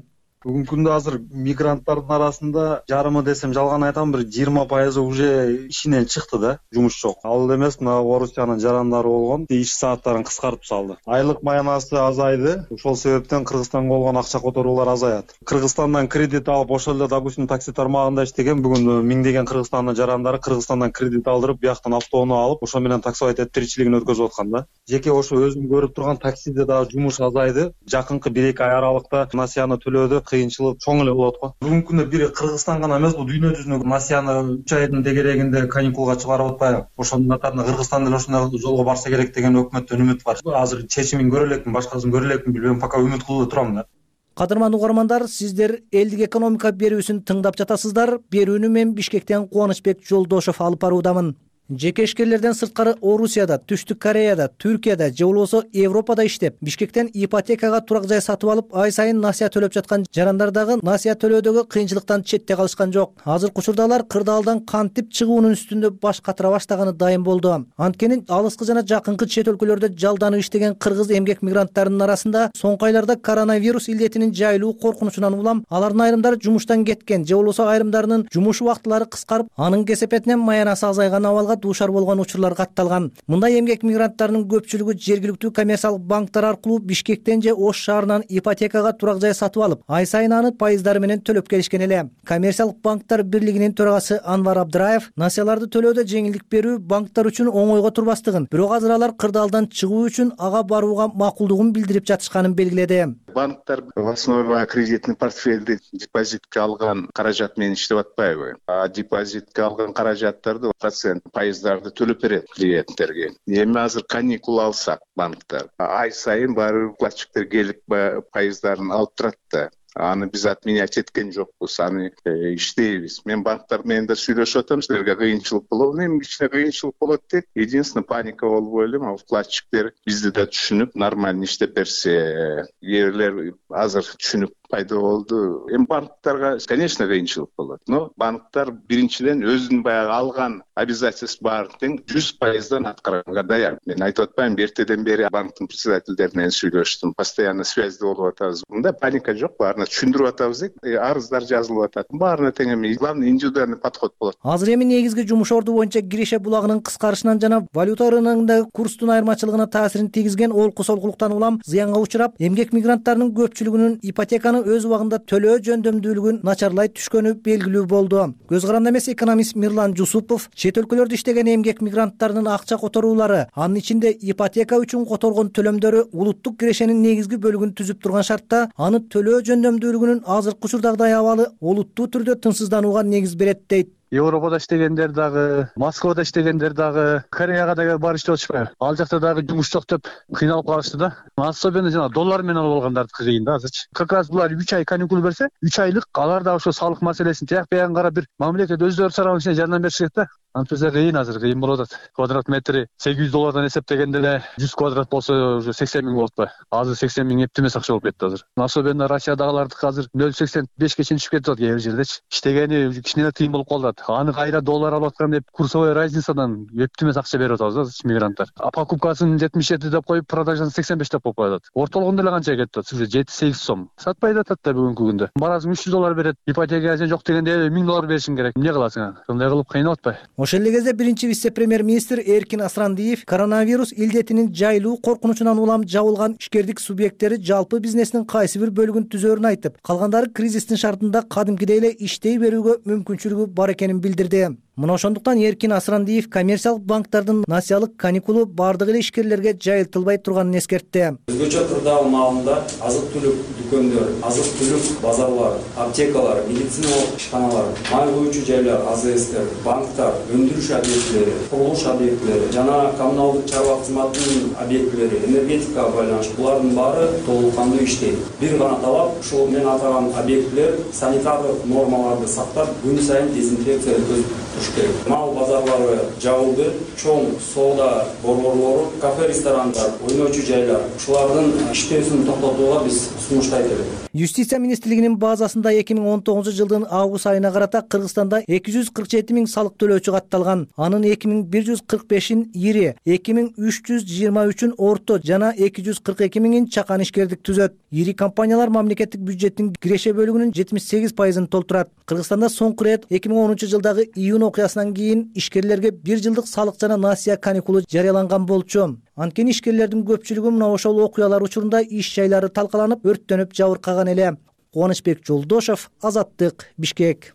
X: Бүгүнкү күндө азыр мигранттардын арасында жарымы десем жалган айтам, бир жыйырма пайызы уже ишинен чыкты да, жумуш жок. Ал эле эмес, мына Орусиянын жарандары болгон, иш сааттарын кыскартып салды. Айлык маянасы азайды, ошол себептен Кыргызстанга болгон акча которуулар азаят. Кыргызстандан кредит алып, ошол эле допустим такси тармагында иштеген бүгүн миңдеген Кыргызстандын жарандары Кыргызстандан кредит алдырып, бияктан автоунаа алып, ошо менен таксовать этип тиричилигин өткөзүп аткан да. Жеке ошо өзүм көрүп турган таксиде дагы жумуш азайды. Жакынкы бир эки ай аралыкта насыяны төлөөдө кыйынчылык чоң эле болот го. Бүгүнкү күндө бир Кыргызстан гана эмес, бул дүйнө жүзүнө насыяны үч айдын дегерегинде каникулга чыгарып атпайбы? Ошонун катарында Кыргызстан деле ошондой жолго барса керек деген өкмөттөн үмүт бар. Азыр чечимин көрө элекмин, башкасын көрө элекмин билбейм, пока үмүт кылып турам да.
G: Кадырман угармандар, сиздер элдик экономика берүүсүн тыңдап жатасыздар. Берүүнү мен Бишкектен Кубанычбек Жолдошов алып баруудамын. Жеке ишкерлерден сырткары Орусияда, Түштүк Кореяда, Түркияда же болбосо Европада иштеп, Бишкектен ипотекага турак жай сатып алып, ай сайын насыя төлөп жаткан жарандар дагы насыя төлөөдөгү кыйынчылыктан четте калышкан жок. Азыркы учурда алар кырдаалдан кантип чыгуунун үстүндө баш катыра баштаганы дайым болду. Анткени алыскы жана жакынкы чет өлкөлөрдө жалданып иштеген кыргыз эмгек мигранттарынын арасында соңку айларда коронавирус илдетинин жайылуу коркунучунан улам алардын айрымдары жумуштан кеткен же болбосо айрымдарынын жумуш убактылары кыскарып, анын кесепетинен маянасы азайган абалга дуушар болгон учурлар катталган. Мындай эмгек мигранттарынын көпчүлүгү жергиликтүү коммерциялык банктар аркылуу Бишкектен же Ош шаарынан ипотекага турак жай сатып алып, ай сайын аны пайыздары менен төлөп келишкен эле. Коммерциялык банктар бирлигинин төрагасы Анвар Абдыраев насыяларды төлөөдө жеңилдик берүү банктар үчүн оңойго турбастыгын, бирок азыр алар кырдаалдан чыгуу үчүн ага барууга макулдугун билдирип жатышканын белгиледи.
I: Банктар в основе кредитный портфельди депозитке алган каражат менен иштеп атпайбы? А депозитке алган каражаттарды процент пайыздарды төлөп берет клиенттерге. Эми азыр каникул алсак банктар ай сайын баары вкладчиктер келип пайыздарын алып турат да. Аны биз отменять эткен жокпуз, аны иштейбиз. Мен банктар менен да сүйлөшүп атам, силерге кыйынчылык болобу? Эми кичине кыйынчылык болот дейт. Единственное, паника болбой эле, а вкладчиктер бизди да түшүнүп, нормально иштеп берсе, ээлер азыр түшүнүп пайда болду. Эми банктарга, конечно, кыйынчылык болот. Но банктар биринчиден өзүнүн баягы алган обязательств баарын тең жүз пайыздан аткарганга даяр. Мен айтып атпайм, эртеден бери банктын председательдери менен сүйлөштүм, постоянно связьде болуп атабыз. Мында паника жок, баарына түшүндүрүп атабыз, арыздар жазылып атат. Баарына тең эми главный индивидуальный подход болот.
G: Азыр эми негизги жумуш орду боюнча киреше булагынын кыскарышынан жана валюта рыногундагы курстун айырмачылыгына таасирин тийгизген олку солкулуктан улам зыянга учурап, эмгек мигранттарынын көпчүлүгүнүн ипотеканы өз убагында төлөө жөндөмдүүлүгүн начарлай түшкөнү белгилүү болду. Көз каранды эмес экономист Мирлан Жусупов чет өлкөлөрдө иштеген эмгек мигранттарынын акча которуулары, анын ичинде ипотека үчүн которгон төлөмдөрү улуттук кирешенин негизги бөлүгүн түзүп турган шартта аны төлөө жөндөмдүүлүгүнүн азыркы учурдагыдай абалы олуттуу түрдө тынчсызданууга негиз берет дейт.
J: Европада иштегендер дагы, Москвада иштегендер дагы, Кореяга дагы барып иштеп атышпайбы? Ал жакта дагы жумуш жок деп кыйналып калышты да. Особенно жана доллар менен алып алгандардыкы кыйын да азырчы. Как раз булар үч ай каникул берсе, үч айлык алар дагы ошо салык маселесин тияк биягын карап бир мамлекет өздөрү сарабын жардам беришет да. Антса кыйын азыр, кыйын болуп атат. Квадрат метри сегиз жүз доллардан эсептегенде эле жүз квадрат болсо уже сексен миң болуп атпайбы? Азыр сексен миң эптеп эмес акча болуп кетти азыр. Особенно Россиядагылардыкы азыр нөл сексен бешке чейин түшүп кетип атат кээ бир жердечи. Иштегени кичине кыйын болуп калат. Аны кайра доллар алып аткан деп курсовой разницадан эптеп эмес акча берип атабыз азыр мигранттар. А покупкасын жетимиш жети деп коюп, продажасын сексен беш деп коюп атат. Ортологунда эле канча кетип атат? Уже жети сегиз сом. Сатпай да атат да бүгүнкү күндө. Барасың үч жүз доллар берет, ипотека жок дегенде миң доллар беришиң керек. Эмне кыласың аны? Ындай кылып кыйнап атпайбы?
G: Ошол эле кезде биринчи вице-премьер-министр Эркин Асрандиев коронавирус илдетинин жайылуу коркунучунан улам жабылган ишкердик субъекттери жалпы бизнестин кайсы бир бөлүгүн түзөрүн айтып, калгандары кризистин шартында кадимкидей эле иштей берүүгө мүмкүнчүлүгү бар экенин билдирди. Мына ошондуктан Эркин Асрандиев коммерциялык банктардын насыялык каникулу бардык эле ишкерлерге жайылтылбай турганын эскертти.
F: Өзгөчө кырдаал маалында азык-түлүк дүкөндөр, азык-түлүк базарлар, аптекалар, медициналык ишканалар, май куючу жайлар, АЗСтер, банктар, өндүрүш объектилери, курулуш объектилери жана коммуналдык чарба кызматынын объектилери, энергетикага байланыштуу булардын баары толук кандуу иштейт. Бир гана талап ушул мен атаган объектилер санитардык нормаларды сактап, күн сайын дезинфекция өткөзүп туруш керек. Мал базарлары жабылды, чоң соода борборлору, кафе, ресторандар, ойночу жайлар ушулардын иштөөсүн токтотууга биз сунуштайт элек.
G: Юстиция министрлигинин базасында эки миң он тогузунчу жылдын август айына карата Кыргызстанда эки жүз кырк жети миң салык төлөөчү катталган. Анын эки миң бир жүз кырк бешин ири, эки миң үч жүз жыйырма үчүн орто жана эки жүз кырк эки миңин чакан ишкердик түзөт. Ири компаниялар мамлекеттик бюджеттин киреше бөлүгүнүн жетимиш сегиз пайызын толтурат. Кыргызстанда соңку ирет эки миң онунчу жылдагы июнь окуясынан кийин ишкерлерге бир жылдык салык жана насыя каникулу жарыяланган болчу. Анткени ишкерлердин көпчүлүгү мына ошол окуялар учурунда иш жайлары талкаланып, өрттөнүп жабыркаган эле. Кубанычбек Жолдошов, Азаттык, Бишкек.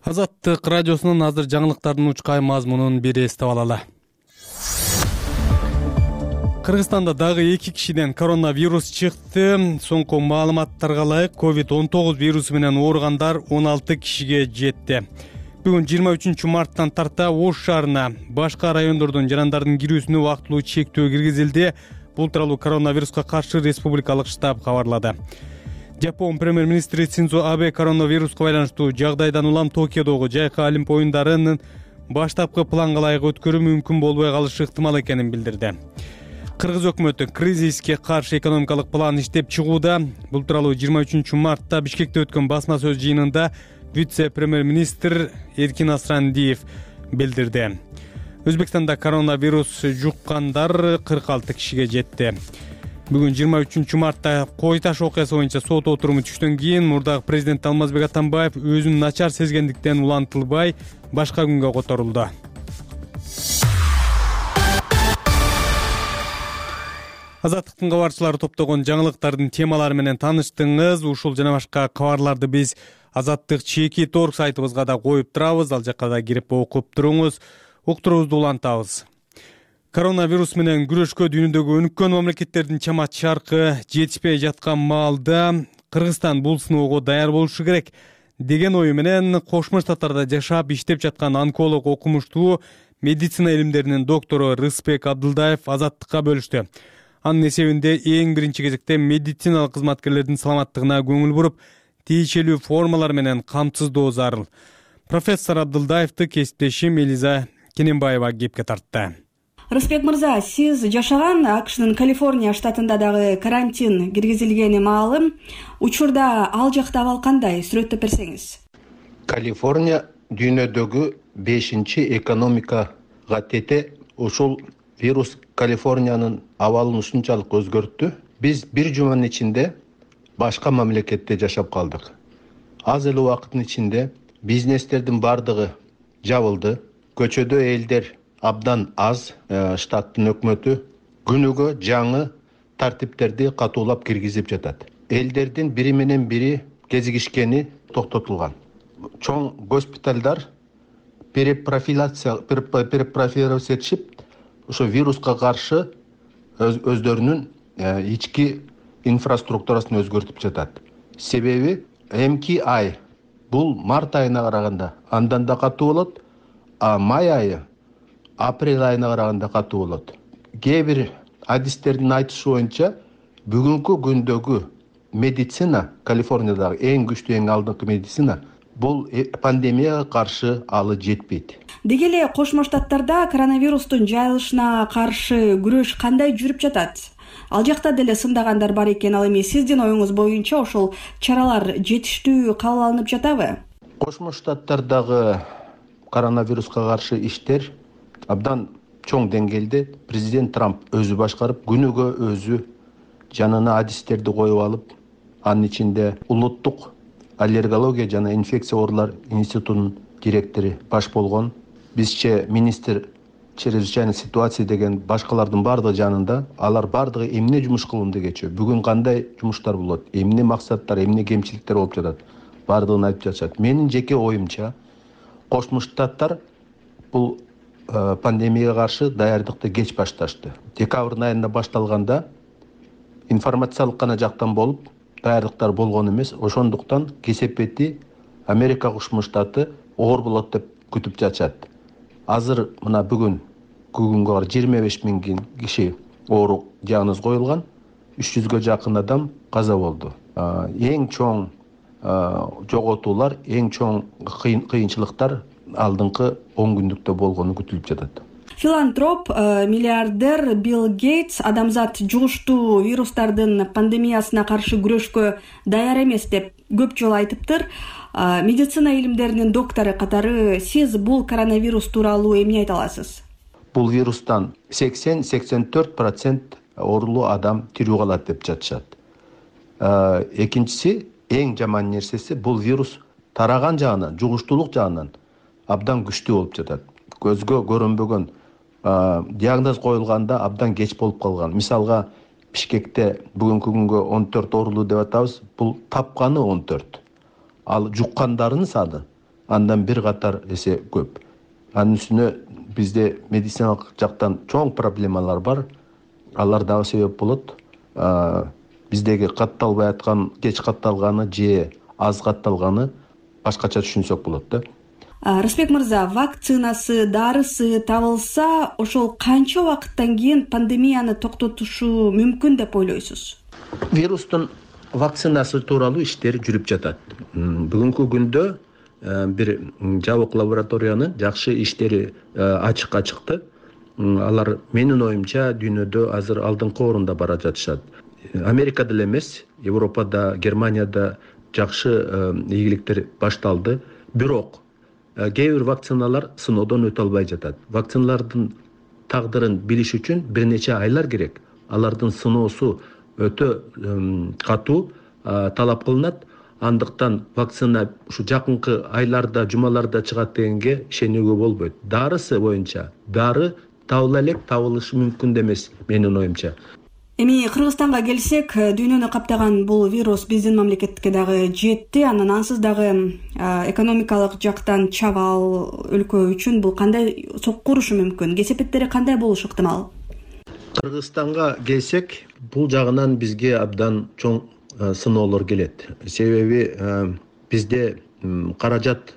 A: Азаттык радиосунун азыр жаңылыктардын учкай мазмунун бир эстеп алалы. Кыргызстанда дагы эки кишиден коронавирус чыкты. Соңку маалыматтарга ылайык ковид он тогуз вирусу менен ооругандар он алты кишиге жетти. Бүгүн жыйырма үчүнчү марттан тарта Ош шаарына башка райондордон жарандардын кирүүсүнө убактылуу чектөө киргизилди. Бул тууралуу коронавируска каршы республикалык штаб кабарлады. Жапон премьер-министри Синдзо Абе коронавируска байланыштуу жагдайдан улам Токиодогу жайкы Олимп оюндарынын баштапкы планга ылайык өткөрүү мүмкүн болбой калышы ыктымал экенин билдирди. Кыргыз өкмөтү кризиске каршы экономикалык план иштеп чыгууда. Бул тууралуу жыйырма үчүнчү мартта Бишкекте өткөн басма сөз жыйынында вице-премьер-министр Эркин Асрандиев билдирди. Өзбекстанда коронавирус жуккандар кырк алты кишиге жетти. Бүгүн жыйырма үчүнчү мартта Кой Таш окуясы боюнча сот отуруму түштөн кийин мурдагы президент Алмазбек Атамбаев өзүн начар сезгендиктен улантылбай башка күнгө которулду. Азаттыктын кабарчылары топтогон жаңылыктардын темалары менен тааныштыңыз. Ушул жана башка кабарларды биз Азаттык чеки торг сайтыбызга да коюп турабыз. Ал жакка да кирип окуп туруңуз, уктуруңузду улантабыз. Коронавирус менен күрөшкө дүйнөдөгү өнүккөн мамлекеттердин чамат чаркы жетишпей жаткан маалда Кыргызстан бул сыноого даяр болушу керек деген ою менен Кошмо Штаттарда жашап иштеп жаткан онколог окумуштуу медицина илимдеринин доктору Рыспек Абдылдаев Азаттыкка бөлүштү. Анын эсебинде эң биринчи кезекте медициналык кызматкерлердин саламаттыгына көңүл буруп, тийишелүү формалар менен камсыздоо зарыл. Профессор Абдылдаевди кесиптешим Элиза Кененбаева кепке тартты.
K: Рыспек мырза, сиз жашаган АКШнын Калифорния штатында дагы карантин киргизилгени маалым. Учурда ал жакта абал кандай? Сүрөттөп берсеңиз.
L: Калифорния дүйнөдөгү бешинчи экономикага тете. Ушул вирус Калифорниянын абалын ушунчалык өзгөрттү. Биз бир жуманын ичинде башка мамлекетте жашап калдык. Аз эле убакыттын ичинде бизнестердин бардыгы жабылды. Көчөдө элдер абдан аз. Штаттын өкмөтү күнүгө жаңы тартиптерди катуулап киргизип жатат. элдердин бири менен бири кезигишкени токтотулган. Чоң госпиталдар перепрофилация перепрофилировать этишип, ошо вируска каршы өздөрүнүн ички инфраструктурасын өзгөртүп жатат. Себеби эмки ай бул март айына караганда андан да катуу болот, а май айы апрель айына караганда катуу болот. Кээ бир адистердин айтышы боюнча бүгүнкү күндөгү медицина, Калифорниядагы эң күчтүү, эң алдыңкы медицина бул пандемияга каршы алы жетпейт.
K: Деги эле Кошмо Штаттарда коронавирустун жайылышына каршы күрөш кандай жүрүп жатат? Ал жакта деле сындагандар бар экен. Ал эми сиздин оюңуз боюнча ошол чаралар жетиштүү кабыл алынып жатабы?
L: Кошмо Штаттардагы коронавируска каршы иштер абдан чоң деңгээлде президент Трамп өзү башкарып, күнүгө өзү жанына адистерди коюп алып, анын ичинде улуттук аллергология жана инфекция оорулар институтунун директору баш болгон. Бизче министр чрезвычайной ситуации деген башкалардын бардыгы жанында, алар бардыгы эмне жумуш кылууда кечиyor, бүгүн кандай жумуштар болот, эмне максаттар, эмне кемчиликтер болуп жатат, бардыгын айтып жатышат. Менин жеке оюмча, Кошмо Штаттар бул пандемияга каршы даярдыкты кеч башташты. Декабрь айында башталганда информациялык гана жактан болуп, даярдыктар болгон эмес. Ошондуктан кесепети Америка Кошмо Штаты оор болот деп күтүп жатышат. Азыр мына бүгүн күнгө каршы жыйырма беш миң киши оору диагноз коюлган, үч жүзгө жакын адам каза болду. Эң чоң жоготуулар, эң чоң кыйынчылыктар алдыңкы он күндүктө болгону күтүлүп жатат.
K: Филантроп, миллиардер Билл Гейтс адамзат жугуштуу вирустардын пандемиясына каршы күрөшкө даяр эмес деп көп жолу айтыптыр. Медицина илимдеринин доктору катары сиз бул коронавирус тууралуу эмне айта аласыз?
L: Бул вирустан сексен сексен төрт процент оорулуу адам тирүү калат деп жатышат. Экинчиси, эң жаман нерсеси, бул вирус тараган жагынан, жугуштуулук жагынан абдан күчтүү болуп жатат. Көзгө көрүнбөгөн диагноз коюлганда абдан кеч болуп калган. Мисалга, Бишкекте бүгүнкү күнгө он төрт оорулуу деп атабыз, бул тапканы он төрт. Ал жуккандардын саны андан бир катар эсе көп. Анын үстүнө бизде медициналык жактан чоң проблемалар бар. Алар дагы себеп болот. Биздеги катталбай аткан, кеч катталганы же аз катталганы башкача түшүнсөк болот да.
K: Рыспек мырза, вакцинасы, дарысы табылса, ошол канча убакыттан кийин пандемияны токтотушу мүмкүн деп ойлойсуз?
L: Вирустун вакцинасы тууралуу иштер жүрүп жатат. Бүгүнкү күндө бир жабык лабораториянын жакшы иштери ачыкка чыкты. Алар менин оюмча дүйнөдө азыр алдыңкы орунда бара жатышат. Америкада эле эмес, Европада, Германияда жакшы ийгиликтер башталды. Бирок кээ бир вакциналар сыноодон өтө албай жатат. Вакциналардын тагдырын билиш үчүн бир нече айлар керек. Алардын сыноосу өтө катуу талап кылынат. Андыктан вакцина ушу жакынкы айларда, жумаларда чыгат дегенге ишенүүгө болбойт. Дарысы боюнча дары табыла элек, табылышы мүмкүн эмес менин оюмча.
K: Эми Кыргызстанга келсек, дүйнөнү каптаган бул вирус биздин мамлекетке дагы жетти. Анан ансыз дагы экономикалык жактан чабал өлкө үчүн бул кандай сокку урушу мүмкүн? Кесепеттери кандай болушу ыктымал?
L: Кыргызстанга келсек, бул жагынан бизге абдан чоң сыноолор келет. Себеби бизде каражат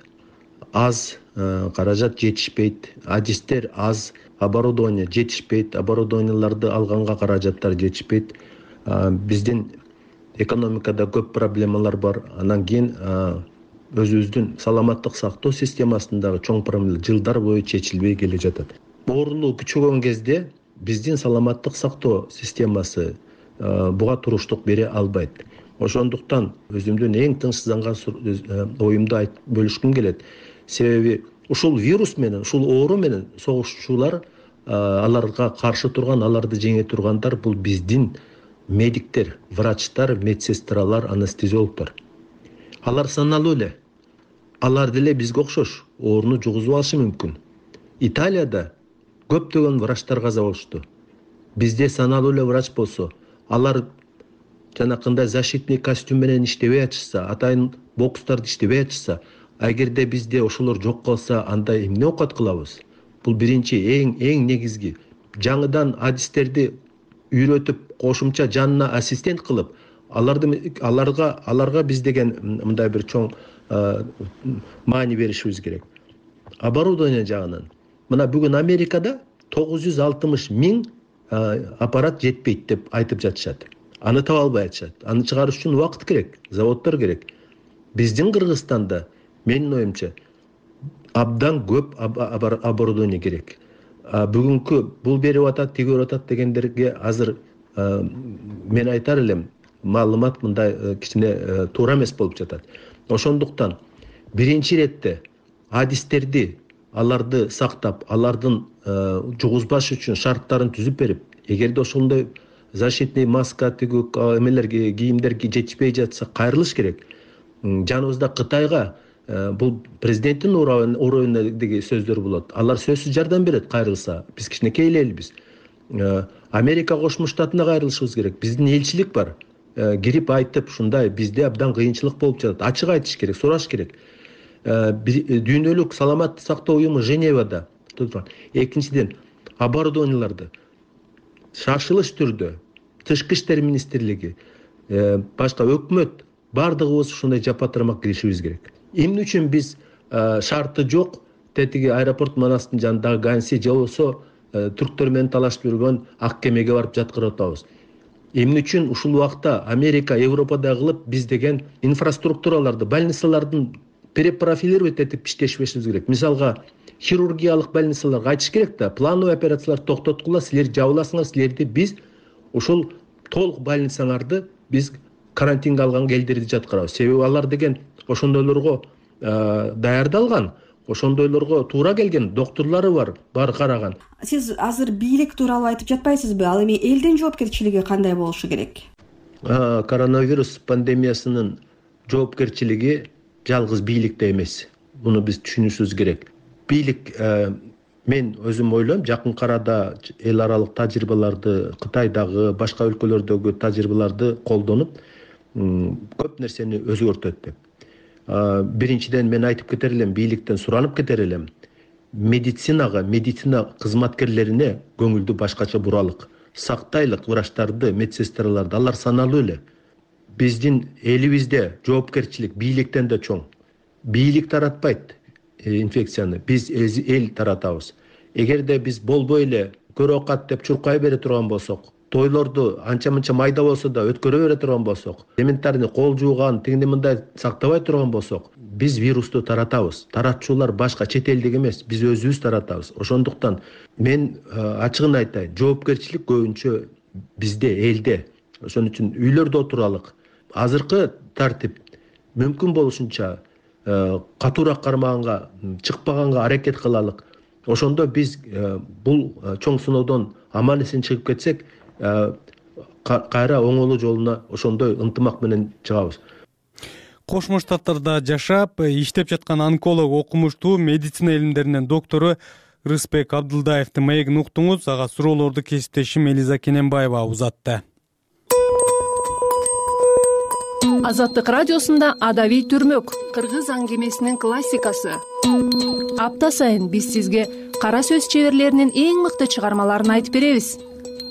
L: аз, каражат жетишпейт, адистер аз, оборудование жетишпейт, оборудованияларды алганга каражаттар жетишпейт. Биздин экономикада көп проблемалар бар. Анан кийин өзүбүздүн саламаттык сактоо системасындагы чоң проблема жылдар бою чечилбей келе жатат. Оорулуу күчөгөн кезде биздин саламаттык сактоо системасы буга туруштук бере албайт. Ошондуктан өзүмдүн эң тынчсызданган оюмду айтып бөлүшкүм келет. Себеби ушул вирус менен, ушул оору менен согушчулар, аларга каршы турган, аларды жеңе тургандар бул биздин медиктер, врачтар, медсестралар, анестезиологдор. Алар саналуу эле. Алар деле бизге окшош ооруну жугузуп алышы мүмкүн. Италияда көптөгөн врачтар каза болушту. Бизде саналуу эле врач болсо, алар жанакындай защитный костюм менен иштебей атышса, атайын бокстарды иштебей атышса, эгерде бизде ошолор жок калса, анда эмне оокат кылабыз? Бул биринчи эң эң негизги. Жаңыдан адистерди үйрөтүп, кошумча жанына ассистент кылып, аларды аларга аларга биз деген мындай бир чоң маани беришибиз керек. Оборудование жагынан. Мына бүгүн Америкада тогуз жүз алтымыш миң аппарат жетпейт деп айтып жатышат. Аны таба албай атышат. Аны чыгарыш үчүн убакыт керек, заводдор керек. Биздин Кыргызстанда менин оюмча абдан көп оборудование керек. Бүгүнкү бул берип атат, тиги берип атат дегендерге азыр мен айтар элем, маалымат мындай кичине туура эмес болуп жатат. Ошондуктан биринчи иретте адистерди аларды сактап, алардын жугузбаш үчүн шарттарын түзүп берип, эгерде ошондой защитный маска тигүү эмелер кийимдер жетишпей жатса кайрылыш керек. Жаныбызда Кытайга бул президенттин уровенидеги сөздөр болот. Алар сөзсүз жардам берет кайрылса. Биз кичинекей эле элбиз. Америка Кошмо Штатына кайрылышыбыз керек. Биздин элчилик бар. Кирип айтып, ушундай бизде абдан кыйынчылык болуп жатат. Ачык айтыш керек, сураш керек. Дүйнөлүк саламаттык сактоо уюму Женевада турган. Экинчиден, оборудованияларды шашылыш түрдө Тышкы иштер министрлиги, башка өкмөт бардыгыбыз ушундай жапа тармак киришибиз керек. Эмне үчүн биз шарты жок тетиги аэропорт манастын жанындагы Ганси же болбосо түрктөр менен талашып жүргөн ак кемеге барып жаткырып атабыз? Эмне үчүн ушул убакта Америка, Европада кылып биз деген инфраструктураларды, больницалардын перепрофилировать этип иштешибиз керек. Мисалга, хирургиялык больницаларга айтыш керек да, плановый операциялар токтоткула, силер жабыласыңар, силерди биз ушул толук больницаңарды биз карантинге алган элдерди жаткырабыз. Себеби алар деген ошондойлорго даярдалган, ошондойлорго туура келген доктурлары бар, бар караган.
K: Сиз азыр бийлик тууралуу айтып жатпайсызбы? Ал эми элдин жоопкерчилиги кандай болушу керек?
L: Коронавирус пандемиясынын жоопкерчилиги жалгыз бийликте эмес. Буну биз түшүнүшүбүз керек. Бийлик, мен өзүм ойлойм, жакын арада эл аралык тажрыйбаларды, Кытайдагы, башка өлкөлөрдөгү тажрыйбаларды колдонуп, көп нерсени өзгөртөт деп. Биринчиден мен айтып кетер элем, бийликтен суранып кетер элем. Медицинага, медицина кызматкерлерине көңүлдү башкача буралык. Сактайлык врачтарды, медсестраларды, алар саналуу эле. Биздин элибизде жоопкерчилик бийликтен да чоң. Бийлик таратпайт инфекцияны, биз эл таратабыз. Эгерде биз болбой эле көрөкат деп чуркай бере турган болсок, тойлорду анча-мынча майда болсо да өткөрө бере турган болсок, элементарный кол жууган, тигиндей мындай сактабай турган болсок, биз вирусту таратабыз. Таратчулар башка чет элдик эмес, биз өзүбүз таратабыз. Ошондуктан мен ачыгын айтайын, жоопкерчилик көбүнчө бизде, элде. Ошон үчүн үйлөрдө отуралык. Азыркы тартип мүмкүн болушунча катуураак кармаганга, чыкпаганга аракет кылалык. Ошондо биз бул чоң сыноодон аман эсен чыгып кетсек, кайра оңолуу жолуна ошондой ынтымак менен чыгабыз.
A: Кошмо Штаттарда жашап, иштеп жаткан онколог, окумуштуу медицина илимдеринин доктору Рыспек Абдылдаевдин маегин уктуңуз. Ага суроолорду кесиптешим Элиза Кененбаева узатты.
M: Азаттык радиосунда Адабий түрмөк, кыргыз аңгемесинин классикасы. Апта сайын биз сизге кара сөз чеберлеринин эң мыкты чыгармаларын айтып беребиз.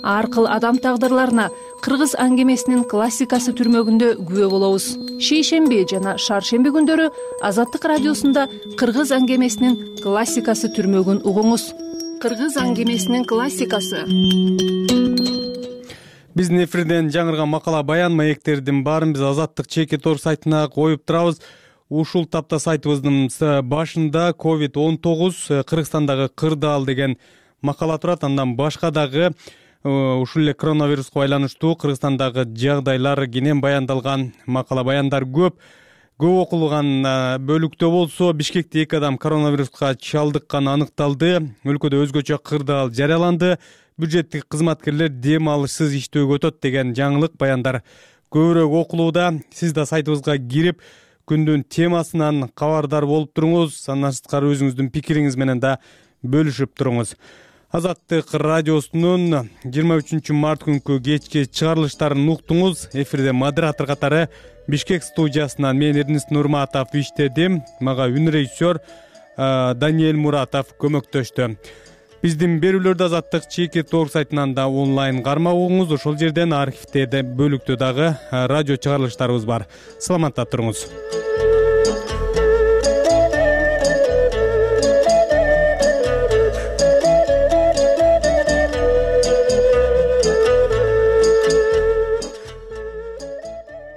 M: Ар кыл адам тагдырларына кыргыз аңгемесинин классикасы түрмөгүндө күбө болобуз. Шейшемби жана шаршемби күндөрү Азаттык радиосунда кыргыз аңгемесинин классикасы түрмөгүн угуңуз. Кыргыз аңгемесинин классикасы.
A: Биздин эфирден жаңырган макала баян маектердин баарын биз Азаттык чеки тор сайтына коюп турабыз. Ушул тапта сайтыбыздын башында ковид он тогуз Кыргызстандагы кырдаал деген макала турат. Андан башка дагы ушул эле коронавируска байланыштуу Кыргызстандагы жагдайлар кенен баяндалган макала баяндар көп. Көп окулган бөлүктө болсо Бишкекте эки адам коронавируска чалдыкканы аныкталды. Өлкөдө өзгөчө кырдаал жарыяланды. Бюджеттик кызматкерлер дем алышсыз иштөөгө өтөт деген жаңылык баяндар көбүрөөк окулууда. Сиз да сайтыбызга кирип күндүн темасынан кабардар болуп туруңуз. Андан сырткары өзүңүздүн пикириңиз менен да бөлүшүп туруңуз. Азаттык радиосунун жыйырма үчүнчү март күнкү кечки чыгарылыштарын уктуңуз. Эфирде модератор катары Бишкек студиясынан мен Эрнест Нурматов иштедим. Мага үн режиссер Даниэль Муратов көмөктөштү. Биздин берүүлөрдү Азаттык чеки торг сайтынан да онлайн кармап угуңуз. Ошол жерден архивде бөлүктө дагы радио чыгарылыштарыбыз бар. Саламатта туруңуз.